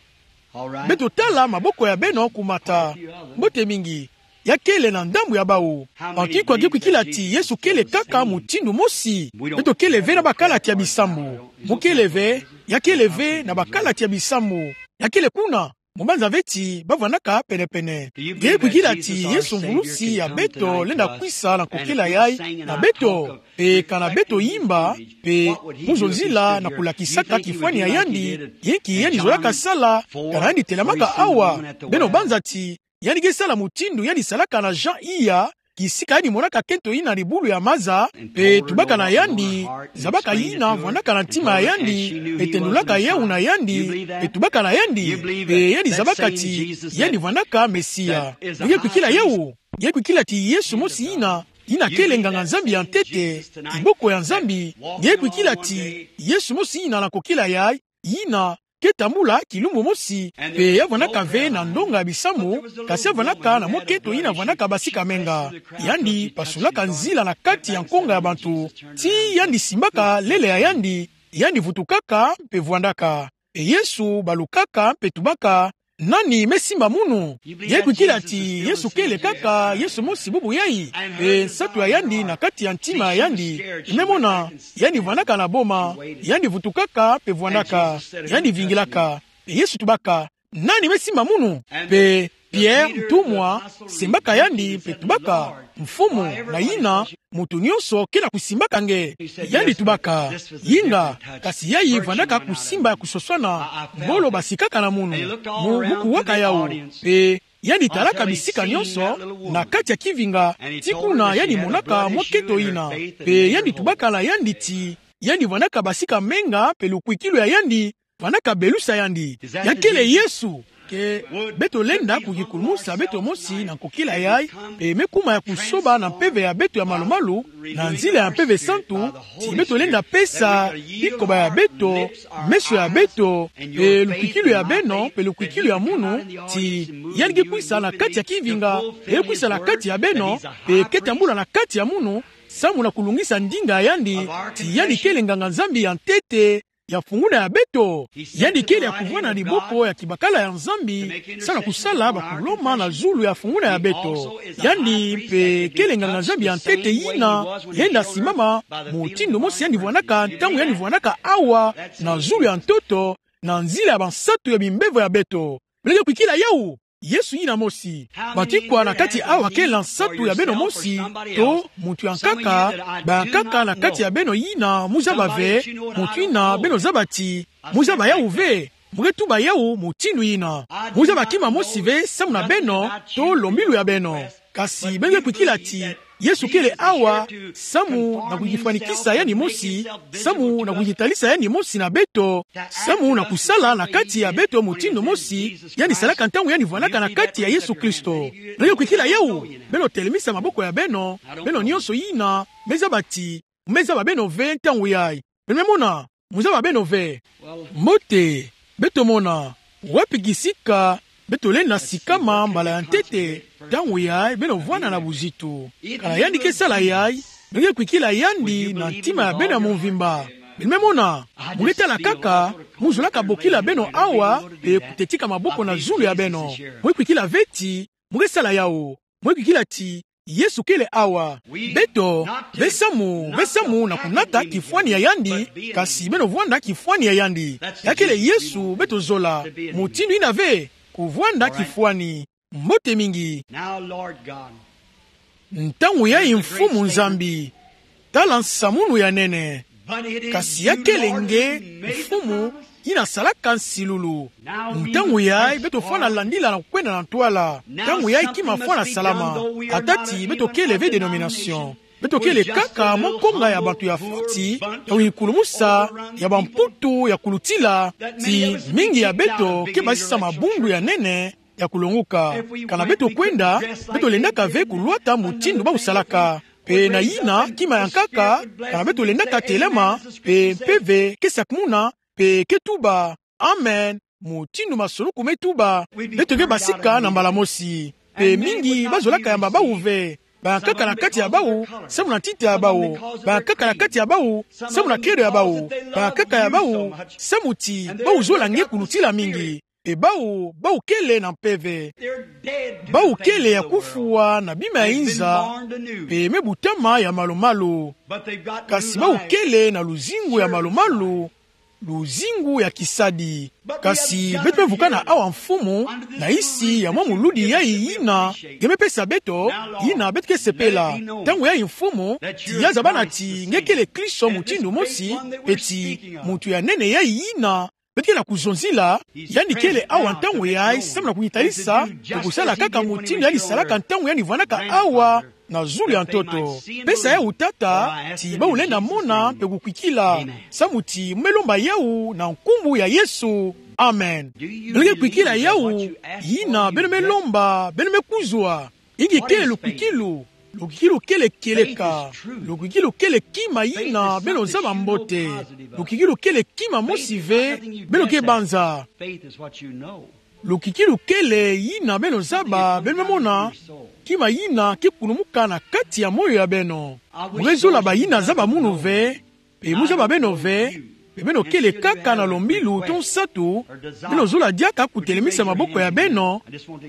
Beto tala maboko ya beno kumata. Mbote mingi. Ya kele na ndambu ya bawu. Bantu ikwa nge kwikila ti Yesu kele kaka mutindu mosi. Beto kele ve na bakalati ya bisambu. Mu kele ve, ya kele ve na bakalati ya bisambu. Ya kele kuna. Mu banza ve ti bavwandaka pene-pene. Nge kwikila ti Yesu mvulusi ya beto lenda kwisa na nkokila yai na beto, mpe kana beto yimba, mpe mu zonzila na kulakisaka kifwani ya yandi, yinki yandi zolaka sala, kana yandi telamaka awa, beno banza ti yandi nge sala mutindu yandi salaka na Jean iya, kisika yandi monaka nkento yina na libulu ya maza, mpe tubaka na yandi, zabaka yina vwandaka na ntima ya yandi, mpe tendulaka yawu na yandi, mpe tubaka na yandi, mpe yandi zabaka ti yandi vwandaka Mesia. Nge kwikila yawu, nge kwikila ti Yesu mosi yina, yina kele nganga-Nzambi ya ntete, kiboko ya Nzambi, nge kwikila ti Yesu mosi yina na nkokila yai, yina ke tambula kilumbu mosi, mpe ya vwandaka ve na ndonga ya bisambu, kasi ya vwandaka na mwa nkento yina vwandaka basika menga. Yandi pasulaka nzila na kati ya nkonga ya bantu, ti yandi simbaka lele ya yandi, yandi vutukaka mpe vwandaka. Mpe Yesu balukaka mpe tubaka: Nani me simba munu? Nge kwikila ti Yesu kele kaka Yesu mosi bubu yai, mpe nsatu ya yandi na kati ya ntima ya yandi. Me mona, yandi vwandaka na boma, yandi vutukaka mpe vwandaka, yandi vingilaka. Mpe Yesu tubaka: Nani me simba munu? Mpe Pierre, ntumwa, simbaka yandi mpe tubaka: Mfumu, na yina muntu nyonso ke na kusimbaka nge. Yandi tubaka: Inga, kasi yai vwandaka kusimba ya kusoswana, ngolo basikaka na munu. Mu, mu kuwaka yawu. Mpe yandi talaka bisika nyonso na kati ya kivinga, ti kuna yandi monaka mwa nkento yina. Mpe yandi tubaka na yandi ti yandi vwandaka basika menga, mpe lukwikilu ya yandi vwandaka belusa yandi. Ya kele Yesu. Ke beto lenda kukikulumusa beto mosi na nkokila yai, mpe me kuma ya kusoba na mpeve ya beto ya malu-malu, na nzila ya Mpeve Santu, ti beto lenda pesa bikoba ya beto, meso ya beto, mpe lukwikilu ya beno, mpe lukwikilu ya munu, ti yandi ke kwisa na kati ya kivinga, mpe kwisa na kati ya beno, mpe ke tambula na kati ya munu, samu na kulungisa ndinga ya yandi, ti yandi kele nganga-Nzambi ya ntete, ya funguna ya beto. Yandi kele ya kuvwanda na liboko ya kibakala ya Nzambi, samu na kusala bakuloma na zulu ya funguna ya beto. Yandi mpe kele nganga-Nzambi ya ntete yina lenda simbama, mutindu mosi yandi vwandaka ntangu yandi vwandaka awa, na zulu ya ntoto, na nzila ya bansatu ya bimbevo ya beto. Beno ke kwikila yawu? Yesu yina mosi. Bantu ikwa na kati awa kele na nsatu ya beno mosi, to muntu ya nkaka, bankaka na kati ya beno yina mu zaba ve, muntu yina beno zaba ti, mu zaba yawu ve, mu ke tuba yawu mutindu yina. Mu zaba kima mosi ve samu na beno, to lombilu ya beno. Kasi beno ke kwikila ti Yesu kele awa, samu na kukifwanikisa yandi mosi, samu na kukitalisa yandi mosi na beto, samu na kusala na kati ya beto mutindu mosi yandi salaka ntangu yandi vwandaka na kati ya Yesu Kristo. Beno ke kwikila yawu? Beno telemisa maboko ya beno, beno nyonso yina me zaba ti, me zaba beno ve ntangu yai. Beno me mona, mu zaba beno ve. Mbote, beto mona, wapi kisika beto lenda sikama mbala ya ntete, ntangu yai beno vwanda na buzitu? Kana yandi ke sala yai, beno ke kwikila yandi na ntima ya beno ya mvimba. Beno me mona, mu ke tala kaka, mu zolaka bokila beno awa, mpe kutetika maboko na zulu ya beno. Mu ke kwikila ve ti mu ke sala yawu. Mu ke kwikila ti Yesu kele awa. Beto, ve samu, ve samu na kunata kifwani ya yandi, kasi beno vwanda kifwani ya yandi. Ya kele Yesu beto zola. Mutindu yina ve, kuvwanda kifwani. Mbote mingi. Ntangu yai, Mfumu Nzambi, tala nsamunu ya nene. Kasi ya kele nge, Mfumu, yina salaka nsilulu. Ntangu yai beto fwana landila na kukwenda na ntwala. Ntangu yai kima fwana salama. Ata ti beto kele ve dénomination, Beto kele kaka mwa nkonga ya bantu ya foti, ya kukulumusa, ya bamputu ya kulutila, ti mingi ya beto ke basisa mabundu ya nene ya kulonguka. Kana beto kwenda, beto lendaka ve kulwata mutindu bau salaka. Pe na yina kima ya nkaka, kana beto lendaka telama, pe mpeve ke sakumuna, pe ke tuba: Amen. Mutindu masoloku me tuba, beto ke basika na mbala mosi. Pe mingi bazolaka yamba bau ve. Bayankaka na kati ya bau, samu na ntita ya bau. Bayankaka na kati ya bau, samu na credo ya bau. Bayankaka ya bau, samu ti bau zola nge kulutila mingi. Pe bau, bau kele na mpeve. Bau kele ya kufwa na bima ya inza, pe me butama ya malu-malu. Kasi bau kele na luzingu ya malu-malu, luzingu ya kisadi. Kasi beto me vukana awa, Mfumu, na nsi ya mwa muludi yai yina nge me pesa beto, yina beto ke sepela. Ntangu yai, Mfumu, ti ya zaba nati nge kele Kristo mutindu mosi, pe ti muntu ya nene yai yina beto ke na kuzonzila, yandi kele awa ntangu yai samu na kunitalisa, pe kusala kaka mutindu yandi salaka ntangu yandi vwandaka awa na zulu ya ntoto. Pesa yau, Tata, ti bau lenda mona pe kukwikila, samu ti mu me lomba yau na nkumbu ya Yesu. Amen. Beno ke kwikila yau, yina beno me lomba, beno me kuzwa. Ingi kele lukwikilu? Lukwikilu kele kieleka. Lukwikilu kele kima yina beno zaba mbote. Lukwikilu kele kima mosi ve beno ke banza. Lukwikilu kele yina beno zaba, beno me mona, kima yina ke kulumuka na kati ya moyo ya beno. Mu ke zola bayina zaba munu ve, pe mu zaba beno ve, pe beno kele kaka na lombilu to nsatu, beno zola diaka kutelemisa maboko ya beno.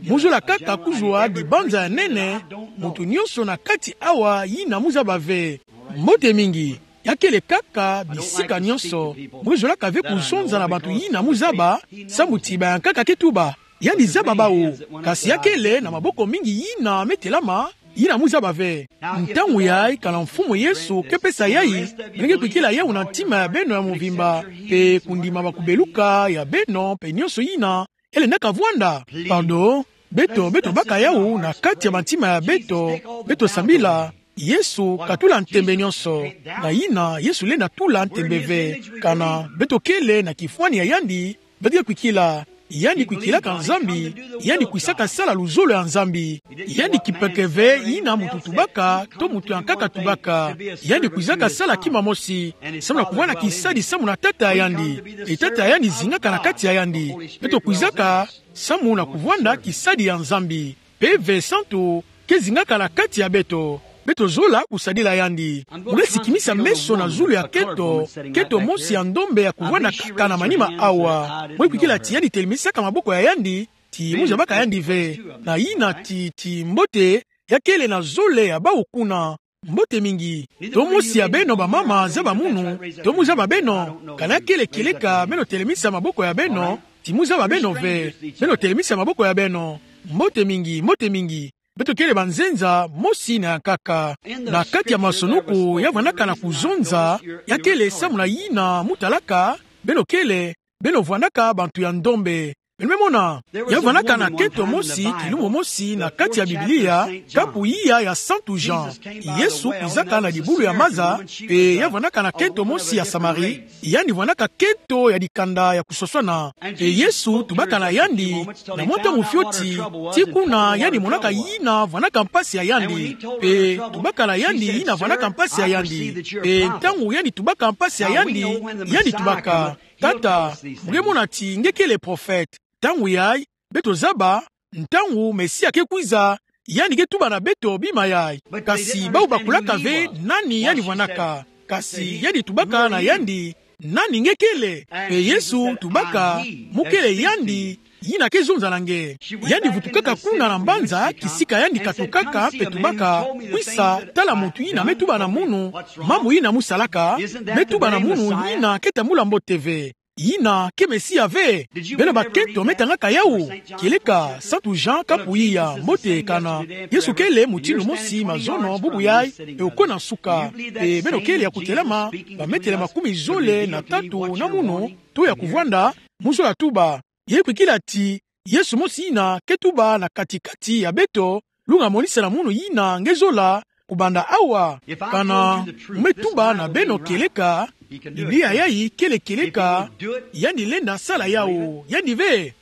Mu zola kaka kuzwa dibanza ya nene, muntu nyonso na kati awa yina mu zaba ve. Mbote mingi. Ya kele kaka bisika nyonso. Mu ke zolaka ve kuzonza na bantu yina mu zaba, samu ti bayankaka ke tuba: Yandi zaba bau. Kasi ya kele na maboko mingi yina me telama, yina mu zaba ve. Ntangu yai, kana Mfumu Yesu ke pesa yai, beno ke kwikila yau na ntima ya beno ya mvimba, pe kundima bakubeluka ya beno, pe nyonso yina ke lendaka vwanda. Pardon, beto, beto baka yau na kati ya bantima ya beto, beto sambila: Yesu, katula ntembe nyonso. Na yina Yesu lenda tula ntembe ve. Kana beto kele na kifwani ya yandi, beto ke kwikila: Yandi kwikilaka Nzambi, yandi kwisaka sala luzolo ya Nzambi. Yandi kipeke ve yina muntu tubaka, to muntu ya nkaka tubaka. Yandi kwizaka sala kima mosi, samu na kuvwanda kisadi samu na Tata ya yandi. Pe Tata ya yandi zingaka na kati ya yandi. Beto kwizaka samu na kuvwanda kisadi ya Nzambi. Mpeve Santu ke zingaka na kati ya beto. Beto zola kusadila yandi. Mu ke sikimisa meso na zulu ya nkento, nkento mosi ya ndombe ya kuvwanda kaka na manima awa. Mu ke kwikila ti yandi telemisaka maboko ya yandi, ti mu zabaka yandi ve. Na yina ti, ti mbote, ya kele na zole ya bau kuna. Mbote mingi. To mosi ya beno bamama zaba munu, to mu zaba beno, kana ya kele kieleka beno telemisa maboko ya beno, ti mu zaba beno ve, beno telemisa maboko ya beno. Mbote mingi, mbote mingi. Beto kele banzenza mosi na ya nkaka. Na kati ya masonoko ya vwandaka na kuzonza, ya kele samu na yina mu talaka, beno kele, beno vwandaka bantu ya ndombe. Beno me mona, ya vwandaka na nkento mosi, kilumbu mosi na kati ya Biblia, kapu iya ya Santu Jean. Yesu kwizaka na dibulu ya maza, pe ya vwandaka na nkento mosi ya Samari, yandi vwandaka nkento ya dikanda ya kuswaswana. Pe Yesu tubaka na yandi, na mwa ntangu fioti, ti kuna yandi monaka yina vwandaka mpasi ya yandi. Pe tubaka na yandi yina vwandaka mpasi ya yandi. Pe ntangu yandi tubaka mpasi ya yandi, yandi tubaka: Tata, mu ke mona ti nge kele prophète. Ntangu yai, beto zaba, ntangu Mesia ke kwiza, yandi ke tuba na beto bima yai. Kasi bau bakulaka ve nani yandi vwandaka. Kasi yandi tubaka na yandi: Nani nge kele? Pe Yesu tubaka: Mu kele yandi yina ke zonza na nge. Yandi vutukaka kuna na mbanza kisika yandi katukaka, pe tubaka: Kwisa, tala muntu yina me tuba na munu, mambu yina mu salaka, me tuba na munu yina ke tambula mbote ve. Yina ke Mesia ve? Beno bakento me tangaka yau? Kieleka Santu Jean kapu iya. Mbote, kana Yesu kele mutindu mosi mazono, bubu yai, pe okwe na nsuka. Pe beno kele ya kutelama bametele makumi zole na tatu na munu, to ya kuvwanda, mu zola tuba. Ye kwikila ti Yesu mosi yina ke tuba na kati-kati ya beto, lunga monisa na munu yina nge zola, kubanda awa. Kana mu me tuba na beno kieleka, Biblia yayi kele kieleka, yandi lenda sala yawu, yandi ve.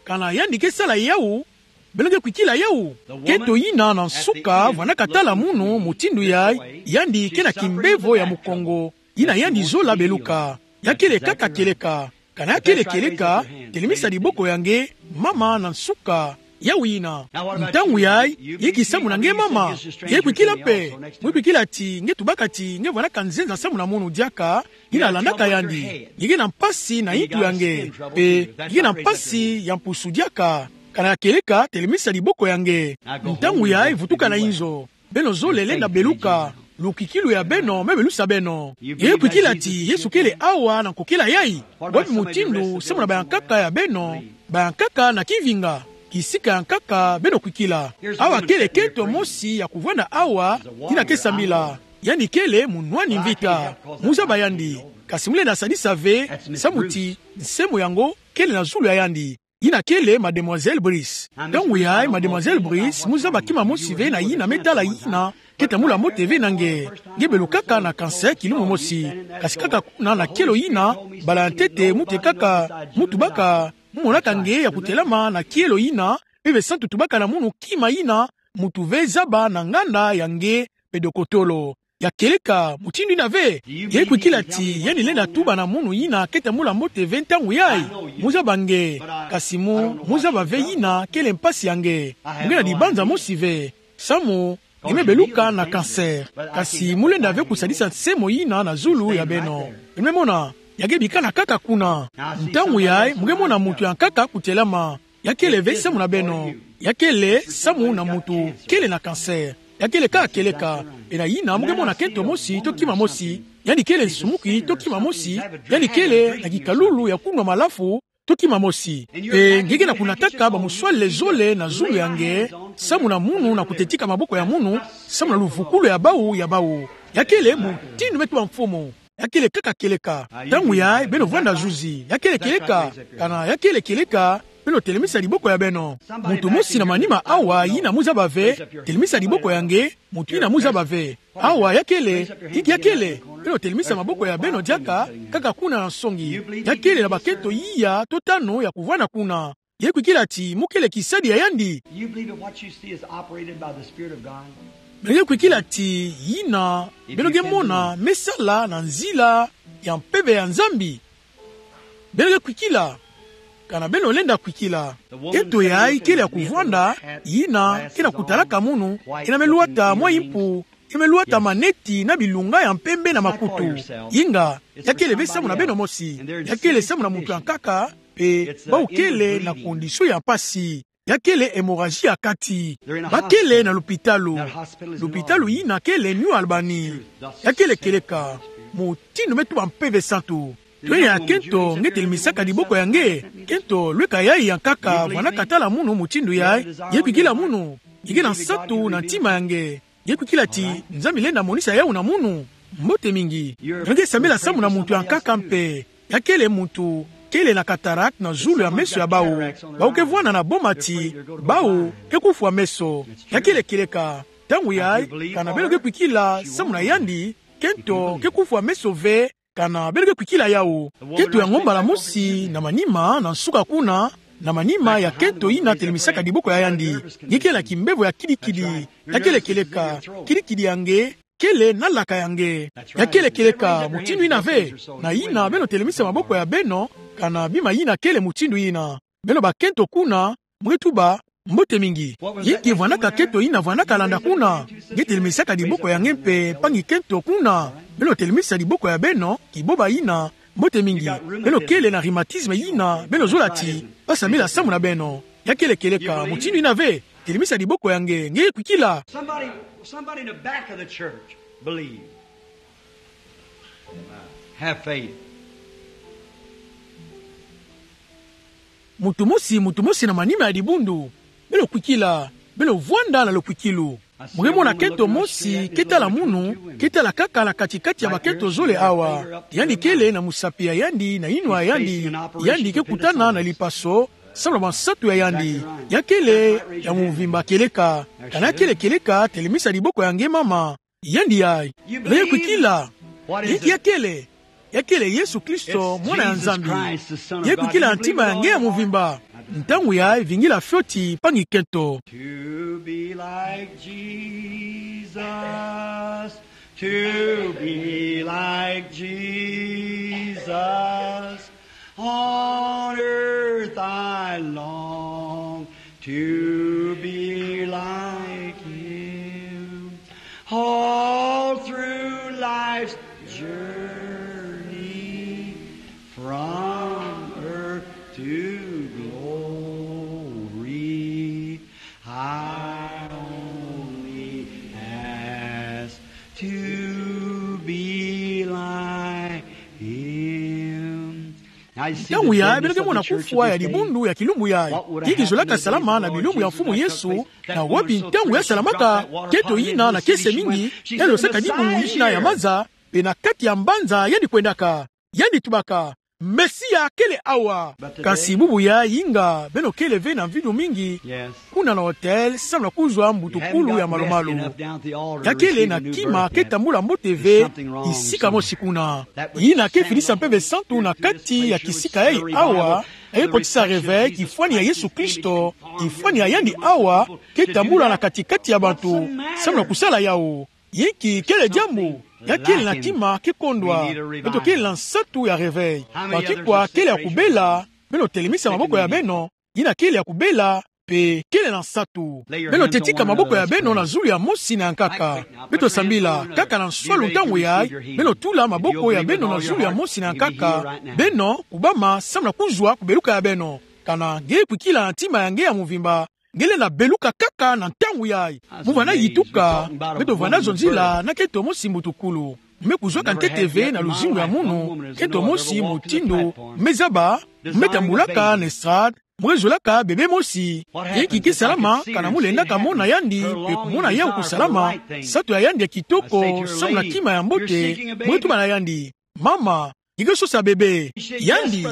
Kana yandi ke sala yawu, beno ke kwikila yawu. Kento yina na nsuka vwandaka tala munu mutindu yayi, yandi ke na kimbevo ya mukongo, yina yandi zola beluka. Ya kele kaka kieleka. Kana ya kele kieleka, telemisa diboko ya nge, mama, na nsuka. Yawu yina. Ntangu yayi, yiki samu na nge mama. Nge kwikila mpe. Mu kwikila ti nge tubaka ti nge vwandaka nzenza samu na munu diaka, yina landaka yandi. Nge ke na mpasi na yintu ya nge. Mpe nge ke na mpasi ya mpusu diaka. Kana ya kieleka, telemisa diboko ya nge. Ntangu yayi, vutuka na inzo. Beno zole lenda beluka, lukwikilu ya beno me belusa beno. Nge kwikila ti Yesu kele awa na nkokila yayi. Bwabi mutindu samu na bayankaka ya beno, bayankaka na kivinga, kisika yankaka beno kwikila. Awa kele kento mosi ya kuvwanda awa, yina ke sambila. Yandi kele munwani mvita. Mu zaba yandi. Kasi mu lenda sadisa ve, samu ti nsemo yango kele na zulu ya yandi. Yina kele Mademoiselle Brice. Ntangu yayi, Mademoiselle Brice, mu zaba kima mosi ve na yina me tala yina ke tambula mbote ve na nge. Nge belukaka na cancer kilumbu mosi. Kasi kaka kuna na kielo yina, bala ya ntete, mu tekaka, mu tubaka, mu monaka nge ya kutelama na kielo yina, Mpeve Santu tubaka na munu kima yina, muntu ve zaba na nganda ya nge, mpe dokotolo. Ya kieleka, mutindu yina ve. Nge kwikila ti yandi lenda tuba na munu yina ke tambula mbote ve ntangu yayi. Mu zaba nge, kasi mu, mu zaba ve yina kele mpasi ya nge. Mu ke na dibanza mosi ve. Samu, nge me beluka na cancer. Kasi mu lenda ve kusadisa nsemo yina na zulu ya beno. Beno me mona, ya ke bikana kaka kuna. Ntangu yayi, mu ke mona muntu yankaka kutelama. Ya kele ve samu na beno. Ya kele samu na muntu kele na cancer. Ya kele kaka kieleka. Mpe na yina mu ke mona kento mosi to kima mosi. Yandi kele nsumuki to kima mosi. Yandi kele na kikalulu ya kunwa malafu to kima mosi. Mpe nge ke na kunataka bamuswalele zole na zulu ya nge, samu na munu na kutetika maboko ya munu, samu na luvukulu ya bawu ya bawu. Ya kele mutindu me tuba mfumu. Ya kele kaka kieleka. Ntangu yayi beno vwanda zuzi. Ya kele kieleka. Kana ya kele kieleka, beno telemisa diboko ya beno. Muntu mosi na manima awa yina mu zaba ve, telemisa diboko ya nge, muntu yina mu zaba ve. Awa ya kele, yinki ya kele, beno telemisa maboko ya beno diaka, kaka kuna na nsongi. Ya kele na bakento iya to tanu ya kuvwanda kuna. Nge kwikila ti mu kele kisadi ya yandi. You believe that what you see is operated by the Spirit of God? Beno ke kwikila ti yina beno ke mona me sala na nzila ya Mpeve ya Nzambi. Beno ke kwikila. Kana beno lenda kwikila. Kento yayi kele ya kuvwanda, yina ke na kutalaka munu, yina me lwata mwa impu, yina me lwata maneti na bilunga ya mpembe na makutu. Inga, ya kele ve samu na beno mosi. Ya kele samu na muntu yankaka, mpe bawu kele na condition ya mpasi. Ya kele hémorragie ya kati. Ba kele na lupitalu. Lupitalu yina kele New Albany. Ya kele kieleka. Mutindu me tuba Mpeve Santu. Twenya ya kento, nge telemisaka diboko ya nge. Kento, lweka yayi yankaka, vwandaka tala munu mutindu yayi. Nge kwikila munu. Nge ke na nsatu na ntima ya nge. Nge kwikila ti Nzambi lenda monisa yawu na munu. Mbote mingi. Nge ke sambila samu na muntu yankaka mpe. Ya kele muntu kele na cataracte na zulu ya meso ya bawu. Bawu ke vwanda na boma ti bawu ke kufwa meso. Ya kele kieleka. Ntangu yayi, kana beno ke kwikila samu na yandi, kento ke kufwa meso ve, kana beno ke kwikila yawu. Kento yango mbala mosi na manima, na nsuka kuna, na manima ya kento yina telemisaka diboko ya yandi. Nge kele na kimbevo ya kidikidi. Ya kele kieleka. Kidikidi ya nge kele na laka ya nge. Ya kele kieleka, mutindu yina ve. Na yina beno telemisa maboko ya beno, kana bima yina kele mutindu yina. Beno bakento kuna, mu ke tuba, mbote mingi. Yinki vwandaka kento yina vwandaka landa kuna. Nge telemisaka diboko ya nge mpe, mpangi kento kuna. Beno telemisa diboko ya beno, kiboba yina, mbote mingi. Beno kele na rhumatisme yina, beno zola ti ba sambila samu na beno. Ya kele kieleka, mutindu yina ve. Telemisa diboko ya nge, nge kwikila. Somebody, somebody in the back of the church believe. Have faith. Muntu mosi, muntu mosi na manima ya dibundu. Beno kwikila, beno vwanda na lukwikilu. Mu ke mona kento mosi ke tala munu, ke tala kaka na kati-kati ya bakento zole awa. Yandi kele na musapi ya yandi, na yinwa ya yandi, yandi ke kutana na lipaso, samu na bansatu ya yandi. Ya kele ya mvimba kieleka. Kana ya kele kieleka, telemisa diboko ya nge mama. Yandi yai. Beno ye kwikila. Yinki ya kele? Ya kele Yesu Kristo, Mwana ya Nzambi. Ye kwikila na ntima ya nge ya mvimba. Ntangu yai vingila fioti, mpangi kento. To be like Jesus, to be like Jesus. On earth I long to be like him. All through life's journey, from earth to glory, I only ask to be like him. Ntangu yai beno ke mona kufwa ya dibundu ya kilumbu yai. Yinki zolaka salama na bilumbu ya Mfumu Yesu, na wapi ntangu ya salamaka? Kento yina na kiese mingi, yalosaka dibu yina ya maza, mpe na kati ya mbanza yandi kwendaka. Yandi tubaka, Mesia kele awa. Kasi bubu yai, inga beno kele ve na mvindu mingi, kuna na hotel, samu na kuzwa mbutukulu ya malumalu. Ya kele na kima ke tambula mbote ve, kisika mosi kuna. Yina ke finisa mpeve santu na kati ya kisika yai awa, ya ke kotisa réveil, kifwani ya Yesu Kristo, kifwani ya yandi awa, ke tambula na kati-kati ya bantu, samu na kusala yawu. Yinki kele diambu? Ya kele na kima ke kondwa. Beto kele na nsatu ya réveil. Bantu kwa kele ya kubela, beno telemisa maboko ya beno, yina kele ya kubela, mpe kele na nsatu. Beno tetika maboko ya beno na zulu ya mosi na ya nkaka. Beto sambila, kaka na nswalu ntangu yai, beno tula maboko ya beno na zulu ya mosi na ya nkaka, beno kubama samu na kuzwa kubeluka ya beno. Kana nge kwikila na ntima ya nge ya mvimba, nge lenda beluka kaka na ntangu yai. Mu vanda yituka, beto vanda zonzila na kento mosi mbutukulu. Mu me kuzwaka ntete ve na luzingu ya munu, kento mosi mutindu mu me zaba, mu me tambulaka na estrade, mu ke zwelaka bebe mosi. Yinki ke salama, kana mu lendaka mona yandi, mpe kumona yawu kusalama, nsatu ya yandi ya kitoko, samu na kima ya mbote, mu ke tuba na yandi: Mama, nge ke sosa bebe. Yandi: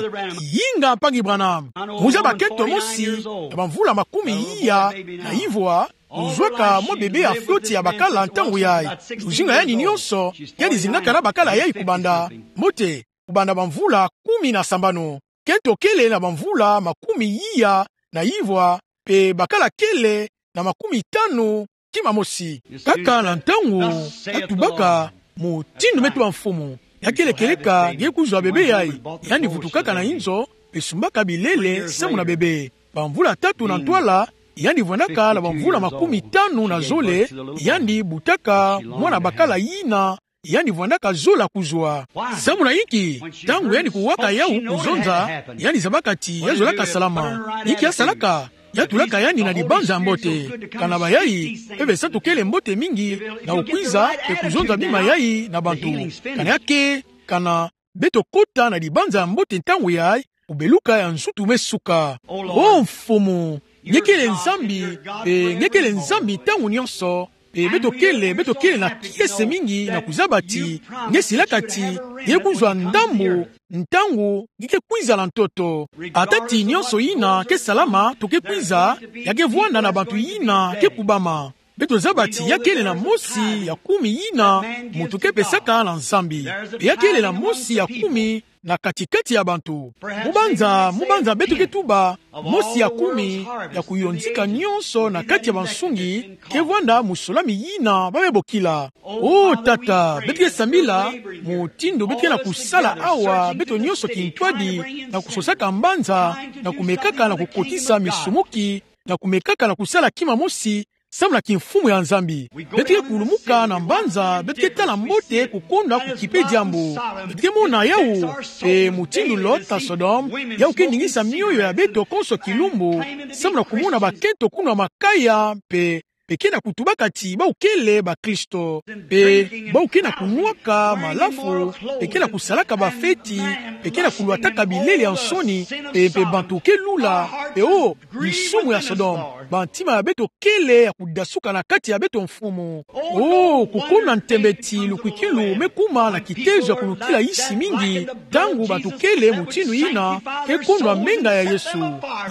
Inga, mpangi Branham. Mu zaba kento mosi, na bamvula makumi iya na ivwa, mu zwaka mwa bebe ya fioti ya bakala ntangu yai. Luzingu ya yandi nyonso, yandi zingaka na bakala yai kubanda mbote, kubanda bamvula kumi na sambanu. Kento kele na bamvula makumi iya na ivwa, mpe bakala kele na makumi tanu, kima mosi. Kaka na ntangu, ya tubaka: Mutindu me tuba Mfumu, ya kele kieleka nge kuzwa bebe yai. Yandi vutukaka na inzo, mpe sumbaka bilele samu na bebe. Bamvula tatu na ntwala, yandi vwandaka na bamvula makumi tanu na zole, yandi butaka mwana bakala yina yandi vwandaka zola kuzwa. Samu na yinki? Ntangu yandi kuwaka yawu kuzonza, yandi zabaka ti ya zolaka salama. Yinki ya salaka? Ya tulaka yandi na dibanza ya mbote. Kana bayai, mpeve santu kele mbote mingi na kukwiza mpe kuzonza bima yai na bantu. Kana ya ke, kana beto kota na dibanza ya mbote ntangu yai, kubeluka ya nsutu me suka. O Mfumu, nge kele Nzambi, mpe nge kele Nzambi ntangu nyonso, mpe beto kele, beto kele na kiese mingi na kuzaba ti nge silaka ti nge kuzwa ndambu ntangu nge ke kwiza na ntoto. Ata ti nyonso yina ke salama to ke kwiza, ya ke vwanda na bantu yina ke kubama. Beto zaba ti ya kele na mosi ya kumi yina muntu ke pesaka na Nzambi. Mpe ya kele na mosi ya kumi na kati-kati ya bantu. Mu banza, mu banza beto ke tuba, mosi ya kumi ya kuyonzika nyonso na kati ya bansungi ke vwanda musolami yina ba me bokila. O Tata, beto ke sambila, mutindu beto ke na kusala awa, beto nyonso kintwadi, na kusosaka mbanza, na kumekaka na kukotisa misumuki, na kumekaka na kusala kima mosi, samu na kimfumu ya Nzambi. Beto ke kulumuka na mbanza, beto ke tala mbote kukonda kukipe diambu. Beto ke mona yawu, mpe mutindu Lot na Sodome, yawu ke ningisa mioyo ya beto konso kilumbu, samu na kumona bakento kunwa makaya, mpe pe ke na kutubaka ti bawu kele bakristo, pe bawu ke na kunwaka malafu, pe ke na kusalaka bafeti, pe ke na kulwataka bilele ya nsoni, pe, pe bantu ke lula, pe o, nsumu ya Sodome. Bantima ya beto kele ya kudasuka na kati ya beto, Mfumu. O, kukumuna ntembe ti lukwikilu me kuma na kitezo ya kulukila yisi mingi, ntangu bantu kele mutindu yina ke kondwa menga ya Yesu,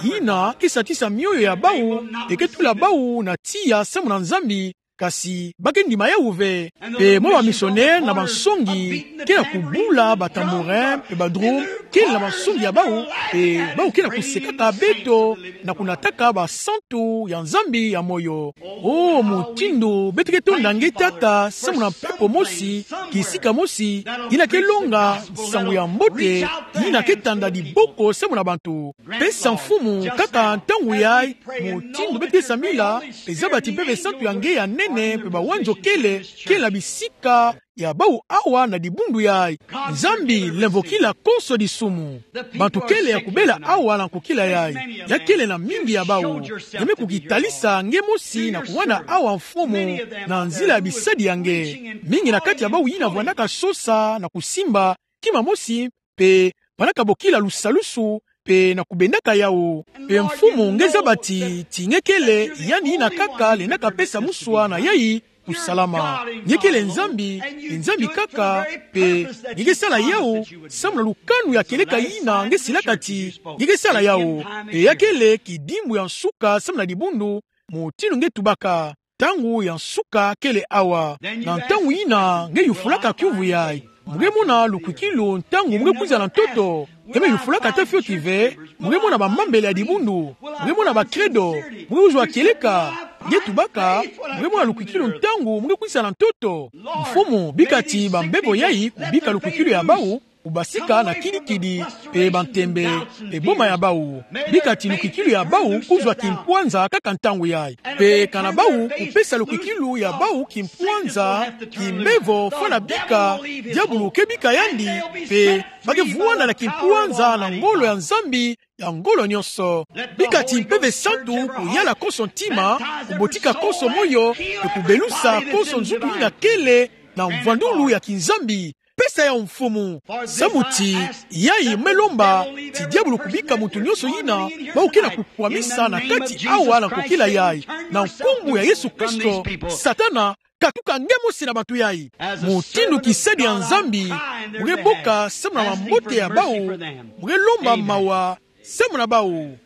yina ke satisa mioyo ya bawu, pe ke tula bawu na tiya samu na Nzambi, kasi ba ke ndima yawu ve. Pe mwa bamisionere na bansongi ke na kubula batambourin pe badrum, kele na bansongi ya bawu, pe bawu ke na kusekaka beto na kunataka basantu ya Nzambi ya moyo. O, mutindu beto ke tonda nge, Tata, samu na mpepo mosi, kisika mosi, yina ke longa nsangu ya mbote, yina ke tanda diboko samu na bantu. Pesa, Mfumu, kaka ntangu yayi, mutindu beto ke sambila, pe zaba ti Mpeve Santu ya nge ya nene pe bawanzo kele, kele na bisika ya bawu awa na dibundu yayi. Nzambi, lemvokila konso disumu. Bantu kele ya kubela awa na nkokila yayi. Ya kele na mingi ya bawu. Nge me kukitalisa nge mosi na kuwana awa, Mfumu, na nzila ya bisadi ya nge. Mingi na kati ya bawu yina vwandaka sosa na kusimba kima mosi, pe vwandaka bokila lusalusu, pe na kubendaka yawu. Pe Mfumu, nge zaba ti, ti nge kele yandi yina kaka lendaka pesa muswa na yayi kusalama. Nge kele Nzambi, e Nzambi kaka, pe nge ke sala yawu samu na lukanu ya kieleka yina nge silaka ti nge ke sala yawu. Pe ya kele kidimbu ya nsuka samu na dibundu, mutindu nge tubaka. Ntangu ya nsuka kele awa. Na ntangu yina nge yufulaka kiuvu yayi. Mu ke mona lukwikilu ntangu mu ke kwiza na ntoto. Nge me yufulaka ata fioti ve. Mu ke mona bamambele ya dibundu. Mu ke mona bakredo. Mu ke kuzwa kieleka. Nge tubaka. Mu ke mona lukwikilu ntangu mu ke kwiza na ntoto. Mfumu, bika ti bambevo yayi kubika lukwikilu ya bawu, kubasika na kidikidi, pe bantembe, pe boma ya bawu. Bika ti lukwikilu ya bawu kuzwa kimpwanza kaka ntangu yayi. Pe kana bawu kupesa lukwikilu ya bawu kimpwanza, kimbevo fwana bika diabulu ke bika yandi, pe ba ke vwanda na kimpwanza na ngolo ya Nzambi ya ngolo nyonso. Bika ti Mpeve Santu kuyala konso ntima, kubotika konso moyo, pe kubelusa konso nzutu yina kele na mvwandulu ya kiNzambi. Pesa yawu, Mfumu. Samu ti yayi me lomba ti diabulu kubika muntu nyonso yina bawu ke na kukwamisa na kati awa na nkokila yayi. Na nkumbu ya Yesu Kristo, Satana, katuka nge mosi na bantu yayi. Mutindu kisadi ya Nzambi, mu ke boka samu na mambote ya bawu, mu ke lomba mawa samu na bawu.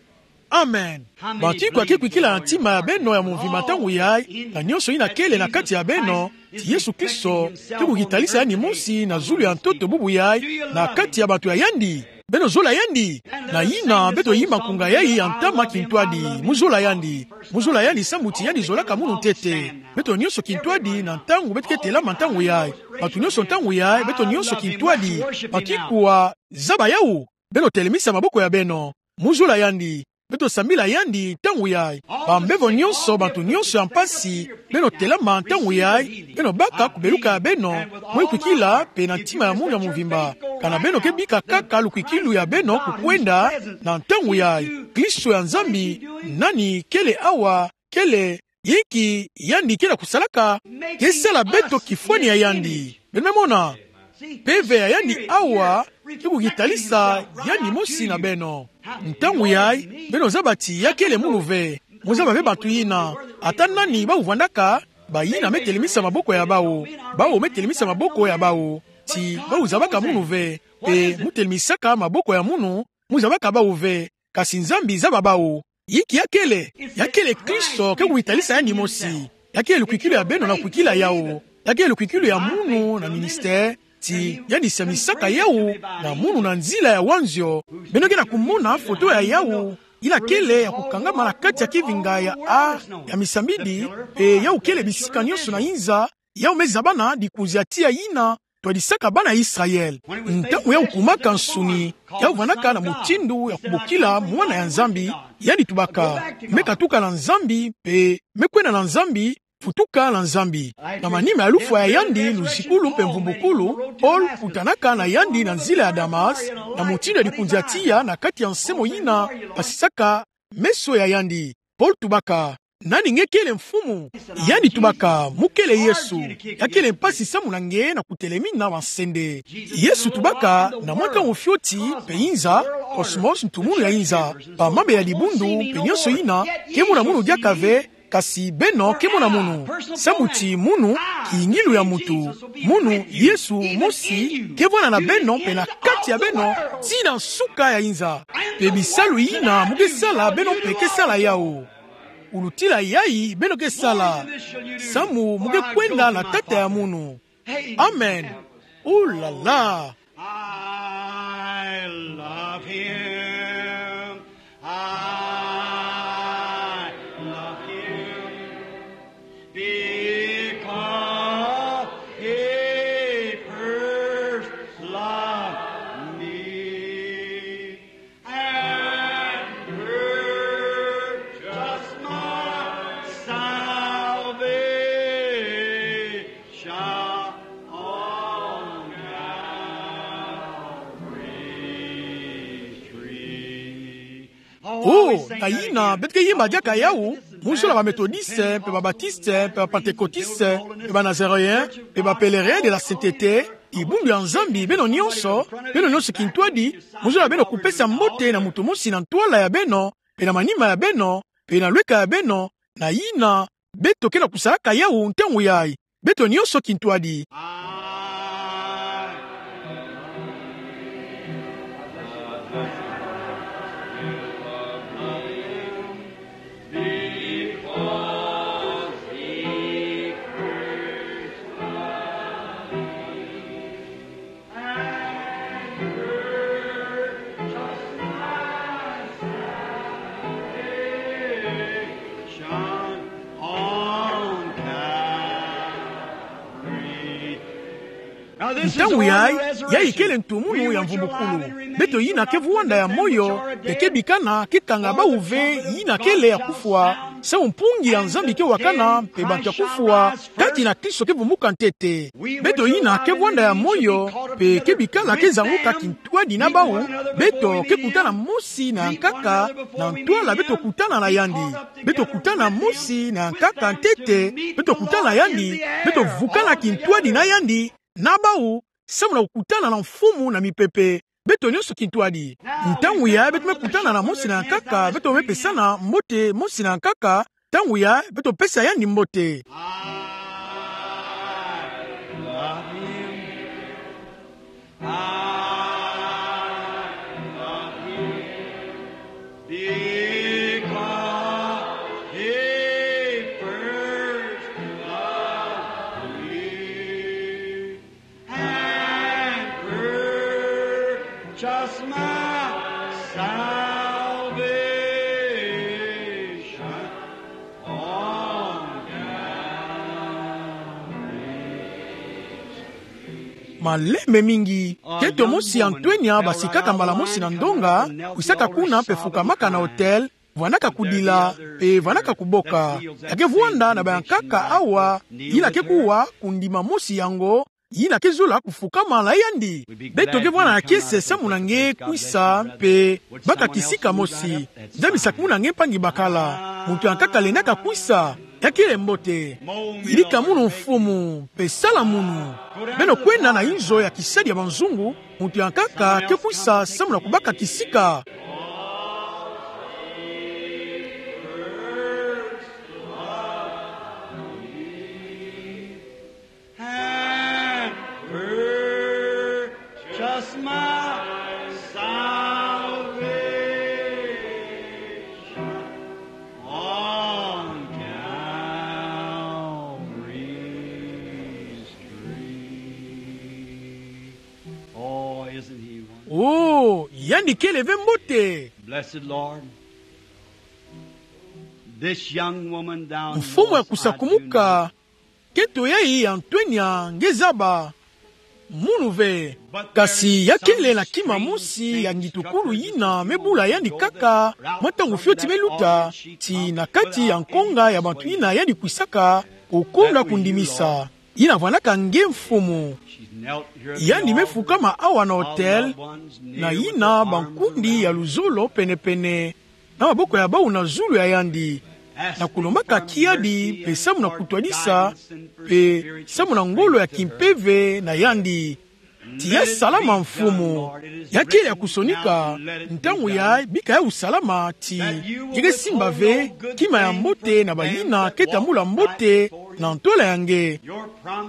Amen. Bantu ikwa ke kwikila na ntima ya beno ya mvimba ntangu yayi, na nyonso yina kele na kati ya beno, ti Yesu Kristo ke kukitalisa yandi mosi na zulu ya ntoto bubu yayi, na kati ya bantu ya yandi? Beno zola yandi? Na yina beto yimba nkunga yayi ya ntama kintwadi. Mu zola yandi. Mu zola yandi samu ti yandi zolaka munu ntete. Beto nyonso kintwadi na ntangu beto ke telama ntangu yayi. Bantu nyonso ntangu yayi, beto nyonso kintwadi. Bantu ikwa zaba yawu? Beno telemisa maboko ya beno. Mu zola yandi. Beto sambila yandi ntangu yayi. Bambevo nyonso, bantu nyonso ya mpasi, beno telama ntangu yayi, beno baka kubeluka ya beno, mwe kwikila pe na ntima ya munu ya mvimba. Kana beno ke bika kaka lukwikilu ya beno kukwenda na ntangu yayi. Kristo ya Nzambi, nani kele awa, kele, yinki yandi ke na kusalaka? Ke sala beto kifwani ya yandi. Beno me mona? Mpeve ya yandi awa ke kukitalisa yandi mosi na beno. Ntangu yayi, beno zaba ti ya kele munu ve. Mu zaba ve bantu yina. Ata nani bawu vwandaka, bayina me telemisa maboko ya bawu. Bawu me telemisa maboko ya bawu. Ti bawu zabaka munu ve. Pe mu telemisaka maboko ya munu, mu zabaka bawu ve. Kasi Nzambi zaba bawu. Yinki ya kele? Ya kele Kristo ke kukitalisa yandi mosi. Ya kele lukwikilu ya beno na kwikila yawu. Ya kele lukwikilu ya munu na ministère, ti yandi samisaka yawu na munu na nzila ya wanzio. Beno ke na kumona foto ya yawu, yina kele ya kukangama na kati ya kivinga ya a, ya misambidi, pe yawu kele bisika nyonso na inza, yawu me zabana dikunzi ya tiya yina twadisaka bana Israël. Ntangu yawu kumaka nsuni, yawu vwandaka na mutindu ya kubokila mwana ya Nzambi, yandi tubaka: Me katuka na Nzambi, pe me kwenda na Nzambi, futuka na Nzambi. Na manima ya lufwa ya yandi, luzikulu mpe mvumbukulu, Paul kutanaka na yandi na nzila ya Damas, na mutindu ya dikunzi ya tiya na kati ya nsemo yina basisaka meso ya yandi. Paul tubaka: Nani nge kele mfumu? Yandi tubaka: Mu kele Yesu. Ya kele mpasi samu na nge na kutelemina bansende. Yesu tubaka: Na mwa ntangu fioti, mpe inza, cosmos, ntu munu ya inza, ba mambe ya dibundu, mpe nionso yina, ke mona munu diaka ve, kasi beno ke mona munu. Samu ti munu, kiyingilu ya muntu. Munu, Yesu mosi, ke vwanda na beno, mpe na kati ya beno, tii na nsuka ya inza. Mpe bisalu yina mu ke sala, beno mpe ke sala yawu. Ulutila yayi, beno ke sala. Samu mu ke kwenda na Tata ya munu. Amen. Ooh là là. I love him. I love him because he first loved me and purchased my salvation on Calvary's tree. Oh, na yina, beto ke yimba diaka yawu, mu zola ba Methodistes, mpe ba Baptistes, mpe ba Pentecôtistes, mpe ba Nazaréens, mpe ba Pèlerins de la Sainteté, dibundu ya Nzambi, beno nionso, beno nionso kintwadi, mu zola beno kupesa mbote na muntu mosi na ntwala ya beno, mpe na manima ya beno, mpe na lweka ya beno, na yina, beto ke na kusalaka yawu ntangu yayi. Beto nionso kintwadi. Ntangu yayi, yayi kele ntu munu ya mvumbukulu. Beto yina ke vwanda ya moyo, mpe ke bikana, ke kanga bawu ve yina kele ya kufwa, samu mpungi ya Nzambi ke wakana, mpe bantu ya kufwa, kati na Kristo ke vumbuka ntete. Beto yina ke vwanda ya moyo, mpe ke bikala ke zanguka kintwadi na bawu, beto ke kutana mosi na nkaka, na ntwala beto kutana na yandi. Beto kutana mosi na nkaka ntete, beto kutana yandi, beto vukana kintwadi na yandi, na bawu, samu na kukutana na Mfumu na mipepe. Beto nionso kintwadi. Ntangu yayi beto me kutana na mosi na nkaka, beto me pesana mbote mosi na nkaka, ntangu yayi beto pesa yandi mbote. I love him. I love him because he first loved me and purchased my salvation on Calvary's tree. Malembe mingi, nkento mosi ya ntwenya basikaka mbala mosi na ndonga, kwisaka kuna mpe fukamaka na autel, vwandaka kudila, mpe vwandaka kuboka. Ya ke vwanda na bayankaka awa, yina ke kuwa, kundima mosi yango, yina ke zola kufukama na yandi. Beto ke vwanda na kiese samu na nge kwisa, mpe baka kisika mosi. Nzambi sakumuna nge mpangi bakala. Muntu ya nkaka lendaka kwisa. Ya kele mbote. Yidika munu Mfumu, mpe sala munu. Beno kwenda na inzo ya kisadi ya banzungu, muntu ya nkaka ke kwisa samu na kubaka kisika. And purchase my salvation on Calvary's tree. Oh, isn't he wonderful? Oh, yandi kele ve mbote. Blessed Lord, this young woman down Mfumu ya kusakumuka, nkento yayi ya ntwenya nge zaba munu ve. Kasi ya kele na kima mosi ya ngitukulu yina me bula yandi kaka, mwa ntangu fioti me luta, ti na kati ya nkonga ya bantu yina yandi kwisaka, kukonda kundimisa. Yina vwandaka nge Mfumu. Yandi me fukama awa na autel, na yina bankundi ya luzolo pene-pene, na maboko ya bawu na zulu ya yandi. na kulombaka kiadi, mpe samu na kutwadisa, mpe samu na ngolo ya kimpeve na yandi. Tiya salama Mfumu. Ya kele ya kusonika, ntangu yayi bika yawu salama ti, ya ke simba ve kima ya mbote na bayina ke tambula mbote na ntwala ya nge.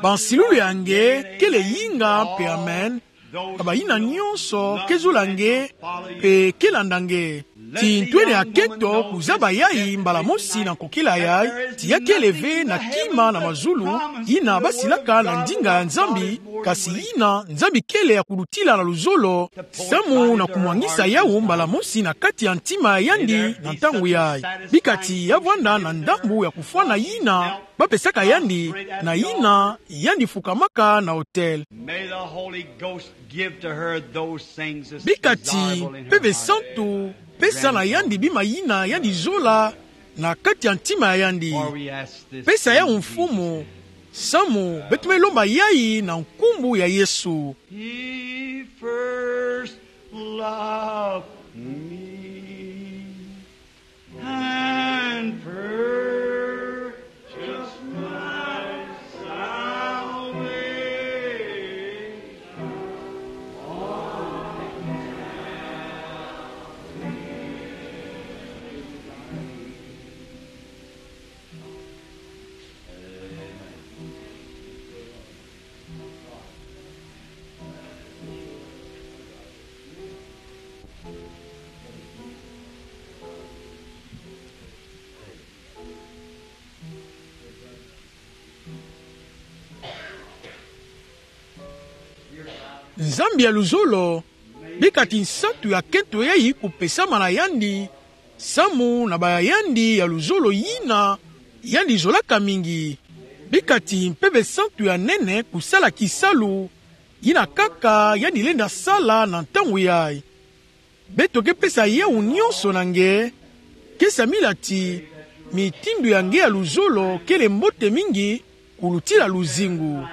Bansilulu ya nge kele yinga mpe amen, na bayina nyonso ke zola nge mpe ke landa nge. Ti ntwene akento kuzaba yayi mbala mosi na nkokila yayi, ti ya kele ve na kima na mazulu yina basilaka na ndinga ya Nzambi, kasi yina Nzambi kele ya kulutila na luzolo, samu na kumwangisa yawu mbala mosi na kati ya ntima ya yandi na ntangu yayi. Bika ti ya vwanda na ndambu ya kufwana yina bapesaka yandi, na yina yandi fukamaka na autel. May the Holy Ghost give to her those things as desirable in her heart. Bika ti Mpeve Santu pesa na yandi bima yina yandi zola na kati ya ntima ya yandi. For we ask this in Jesus' name. Pesa yawu Mfumu, samu beto me lomba yayi na nkumbu ya Yesu. He first loved me and purchased my salvation. Nzambi ya luzolo, bika ti nsatu ya kento yayi kupesama na yandi, samu na baya yandi ya luzolo yina yandi zolaka mingi. Bika ti Mpeve Santu ya nene kusala kisalu yina kaka yandi lenda sala na ntangu yayi. Beto ke pesa yawu nyonso na nge, ke samila ti mitindu ya nge ya luzolo kele mbote mingi kulutila luzingu.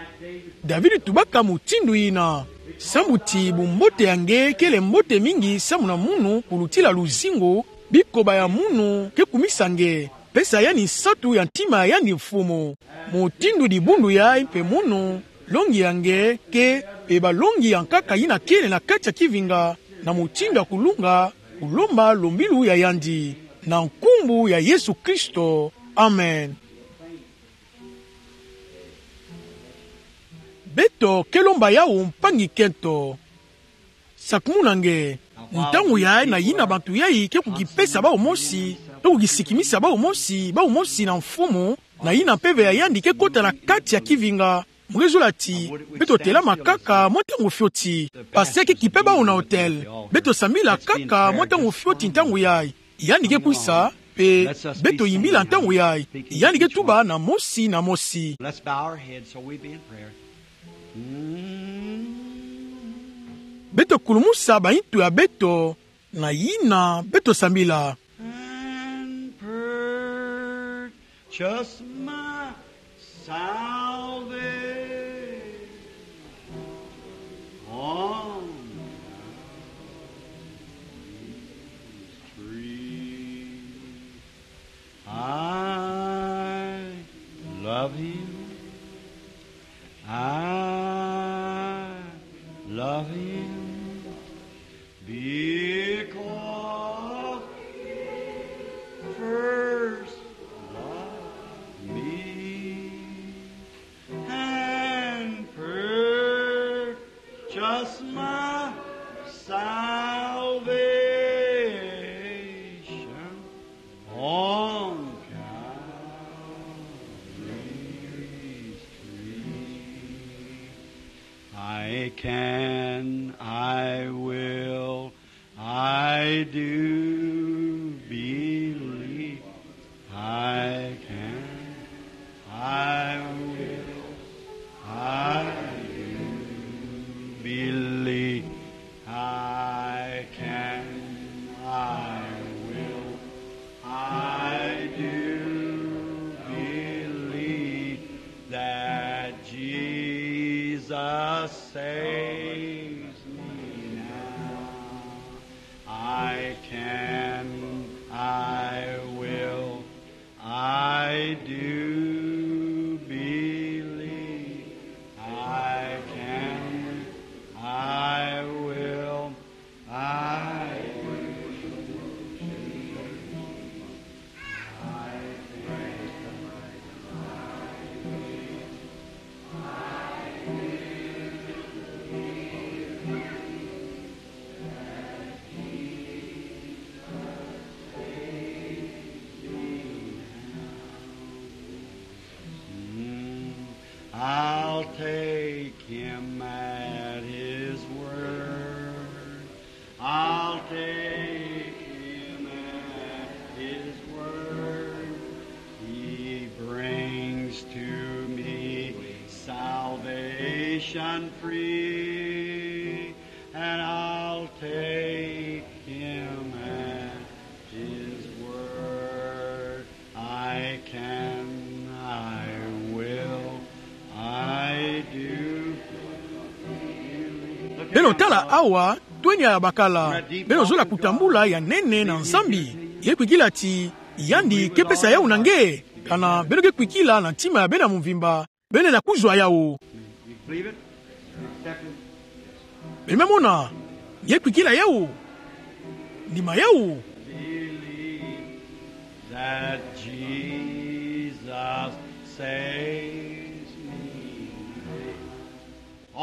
David tubaka mutindu yina, samu ti bumbote ya nge kele mbote mingi samu na munu kulutila luzingu, bikoba ya munu ke kumisa nge. Pesa yandi nsatu ya ntima ya yandi Mfumu. Mutindu dibundu yayi mpe munu, longi ya nge ke, mpe balongi ya nkaka yina kele na kati ya kivinga, na mutindu ya kulunga, kulomba lombilu ya yandi. Na nkumbu ya Yesu Kristo. Amen. Beto ke lomba yawu mpangi kento. Sakumuna nge, ntangu yayi na yina bantu yayi ke kukipesa bawu mosi, to kukisikimisa bawu mosi, bawu mosi na Mfumu, na yina mpeve ya yandi ke kota na kati ya kivinga. Mu ke zola ti beto telama kaka mwa ntangu fioti. Pasteur ke kipe bawu na autel. Beto sambila kaka mwa ntangu fioti ntangu yayi. Yandi ke kwisa, mpe beto yimbila ntangu yayi. Yandi ke tuba na mosi na mosi. Let's bow our heads so we be in prayer. Beto kulumusa baintu ya beto, na yina beto sambila. And purchase my salvation on Calvary's tree. I love him. I love him because he first loved me and purchased my salvation on Calvary's tree. I can, I will, I do believe. I can, I will, I do believe. I can, I will, I do believe that Jesus saves me now. I can, I will, I'll take him at his word. I'll take him at his word. He brings to me salvation free, and I'll take him at his word. I can, I will, I do. Beno tala awa, tweni ya bakala. Beno zola kutambula ya nene na Nzambi. Ye kwikila ti, yandi ke pesa yawu na nge. Kana beno ke kwikila na ntima ya beno ya mvimba, beno lenda kuzwa yawu. Beno me mona, ye kwikila yawu. Ndima yawu. Believe that Jesus saves me.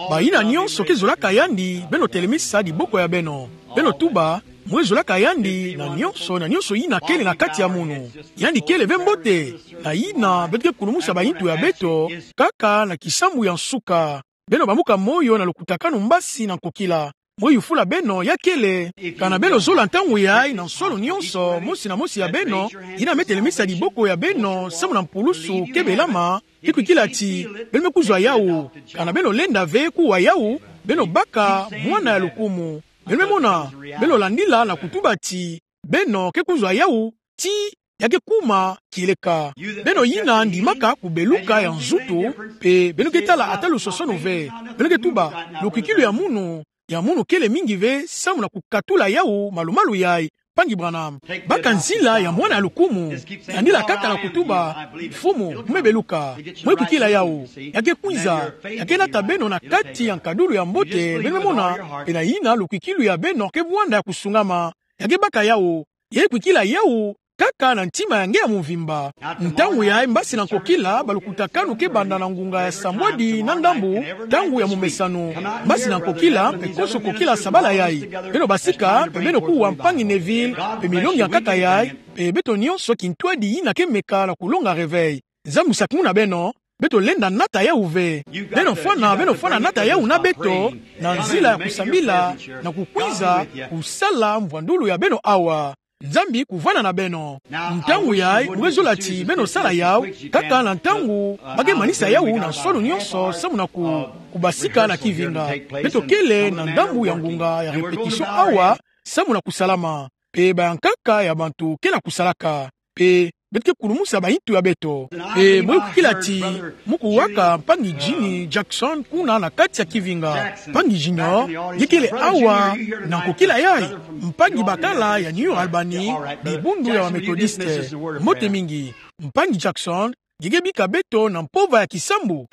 Bayina nyonso ke zolaka yandi, beno telemisa diboko ya beno. Beno tuba, mwe zolaka yandi na nyonso, na nyonso yina kele na kati ya munu. Yandi kele ve mbote, na yina beto ke kulumusa bayintu ya beto, kaka na kisambu ya nsuka. Beno bamuka moyo na lukutakanu mbasi na nkokila. Mwe yufula beno ya kele. Kana beno zola ntangu yayi na nsolo nyonso, mosi na mosi ya beno, yina me telemisa diboko ya beno, samu na mpulusu ke belama, ye kwikila ti, beno me kuzwa yawu. Kana beno lenda ve kuwa yawu, beno baka mwana ya lukumu. Beno me mona, beno landila na kutuba ti, beno ke kuzwa yawu, ti ya ke kuma kieleka. Beno yina ndimaka kubeluka ya nzutu, mpe beno ke tala ata lusosono ve. Beno ke tuba, lukwikilu ya munu, ya munu kele mingi ve, samu na kukatula yawu malumalu yayi, mpangi Branham. Baka nzila ya mwana ya lukumu, landila kaka na kutuba, Mfumu, mwe beluka, mwe kwikila yawu, ya ke kwiza, ya ke nata beno na kati ya nkadulu ya mbote, beno me mona, mpe na yina lukwikilu ya beno ke vwanda ya kusungama, ya ke baka yawu, ye kwikila yawu, kaka na ntima ya nge ya mvimba. Ntangu yayi mbasi na nkokila, balukutakanu ke banda na ngunga ya sambwadi na ndambu, ntangu ya momesano. Mbasi na nkokila, mpe konso nkokila sabala yayi. Beno basika, mpe beno kuwa mpangi Neville, mpe milongi ya nkaka yayi, mpe beto nyonso kintwadi yina ke meka na kulonga réveil. Nzambi sakumuna beno, beto lenda nata yawu ve. Beno fwana, beno fwana nata yawu na beto, na nzila ya kusambila, na kukwiza, kusala mvwandulu ya beno awa. Nzambi kuvwanda na beno. Ntangu yayi, mwe zola ti, beno sala yawu, kaka na ntangu, ba ke manisa yawu na nsolo nyonso, samu na ku, kubasika na kivinga. Beto kele na ndambu ya ngunga ya répétition awa, samu na kusalama. Mpe bayankaka ya bantu ke na kusalaka. Mpe beto ke kulumusa bayintu ya beto. Mpe mwe kwikila ti, mukuwaka mpangi Jimmy Jackson kuna na kati ya kivinga. Mpangi Junior, nge kele awa na nkokila yayi, mpangi bakala ya New Albany, dibundu ya ba Methodiste. Mbote mingi. Mpangi Jackson, nge ke bika beto na mpova ya kisambu.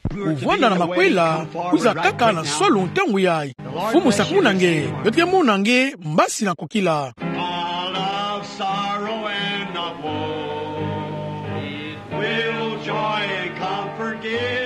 Kuvwanda na makwela, kwiza kaka na nsolo ntangu yayi. Mfumu sakumuna nge, beto ke mona nge, mbasi na nkokila. All of sorrow and of woe, it will joy and comfort give.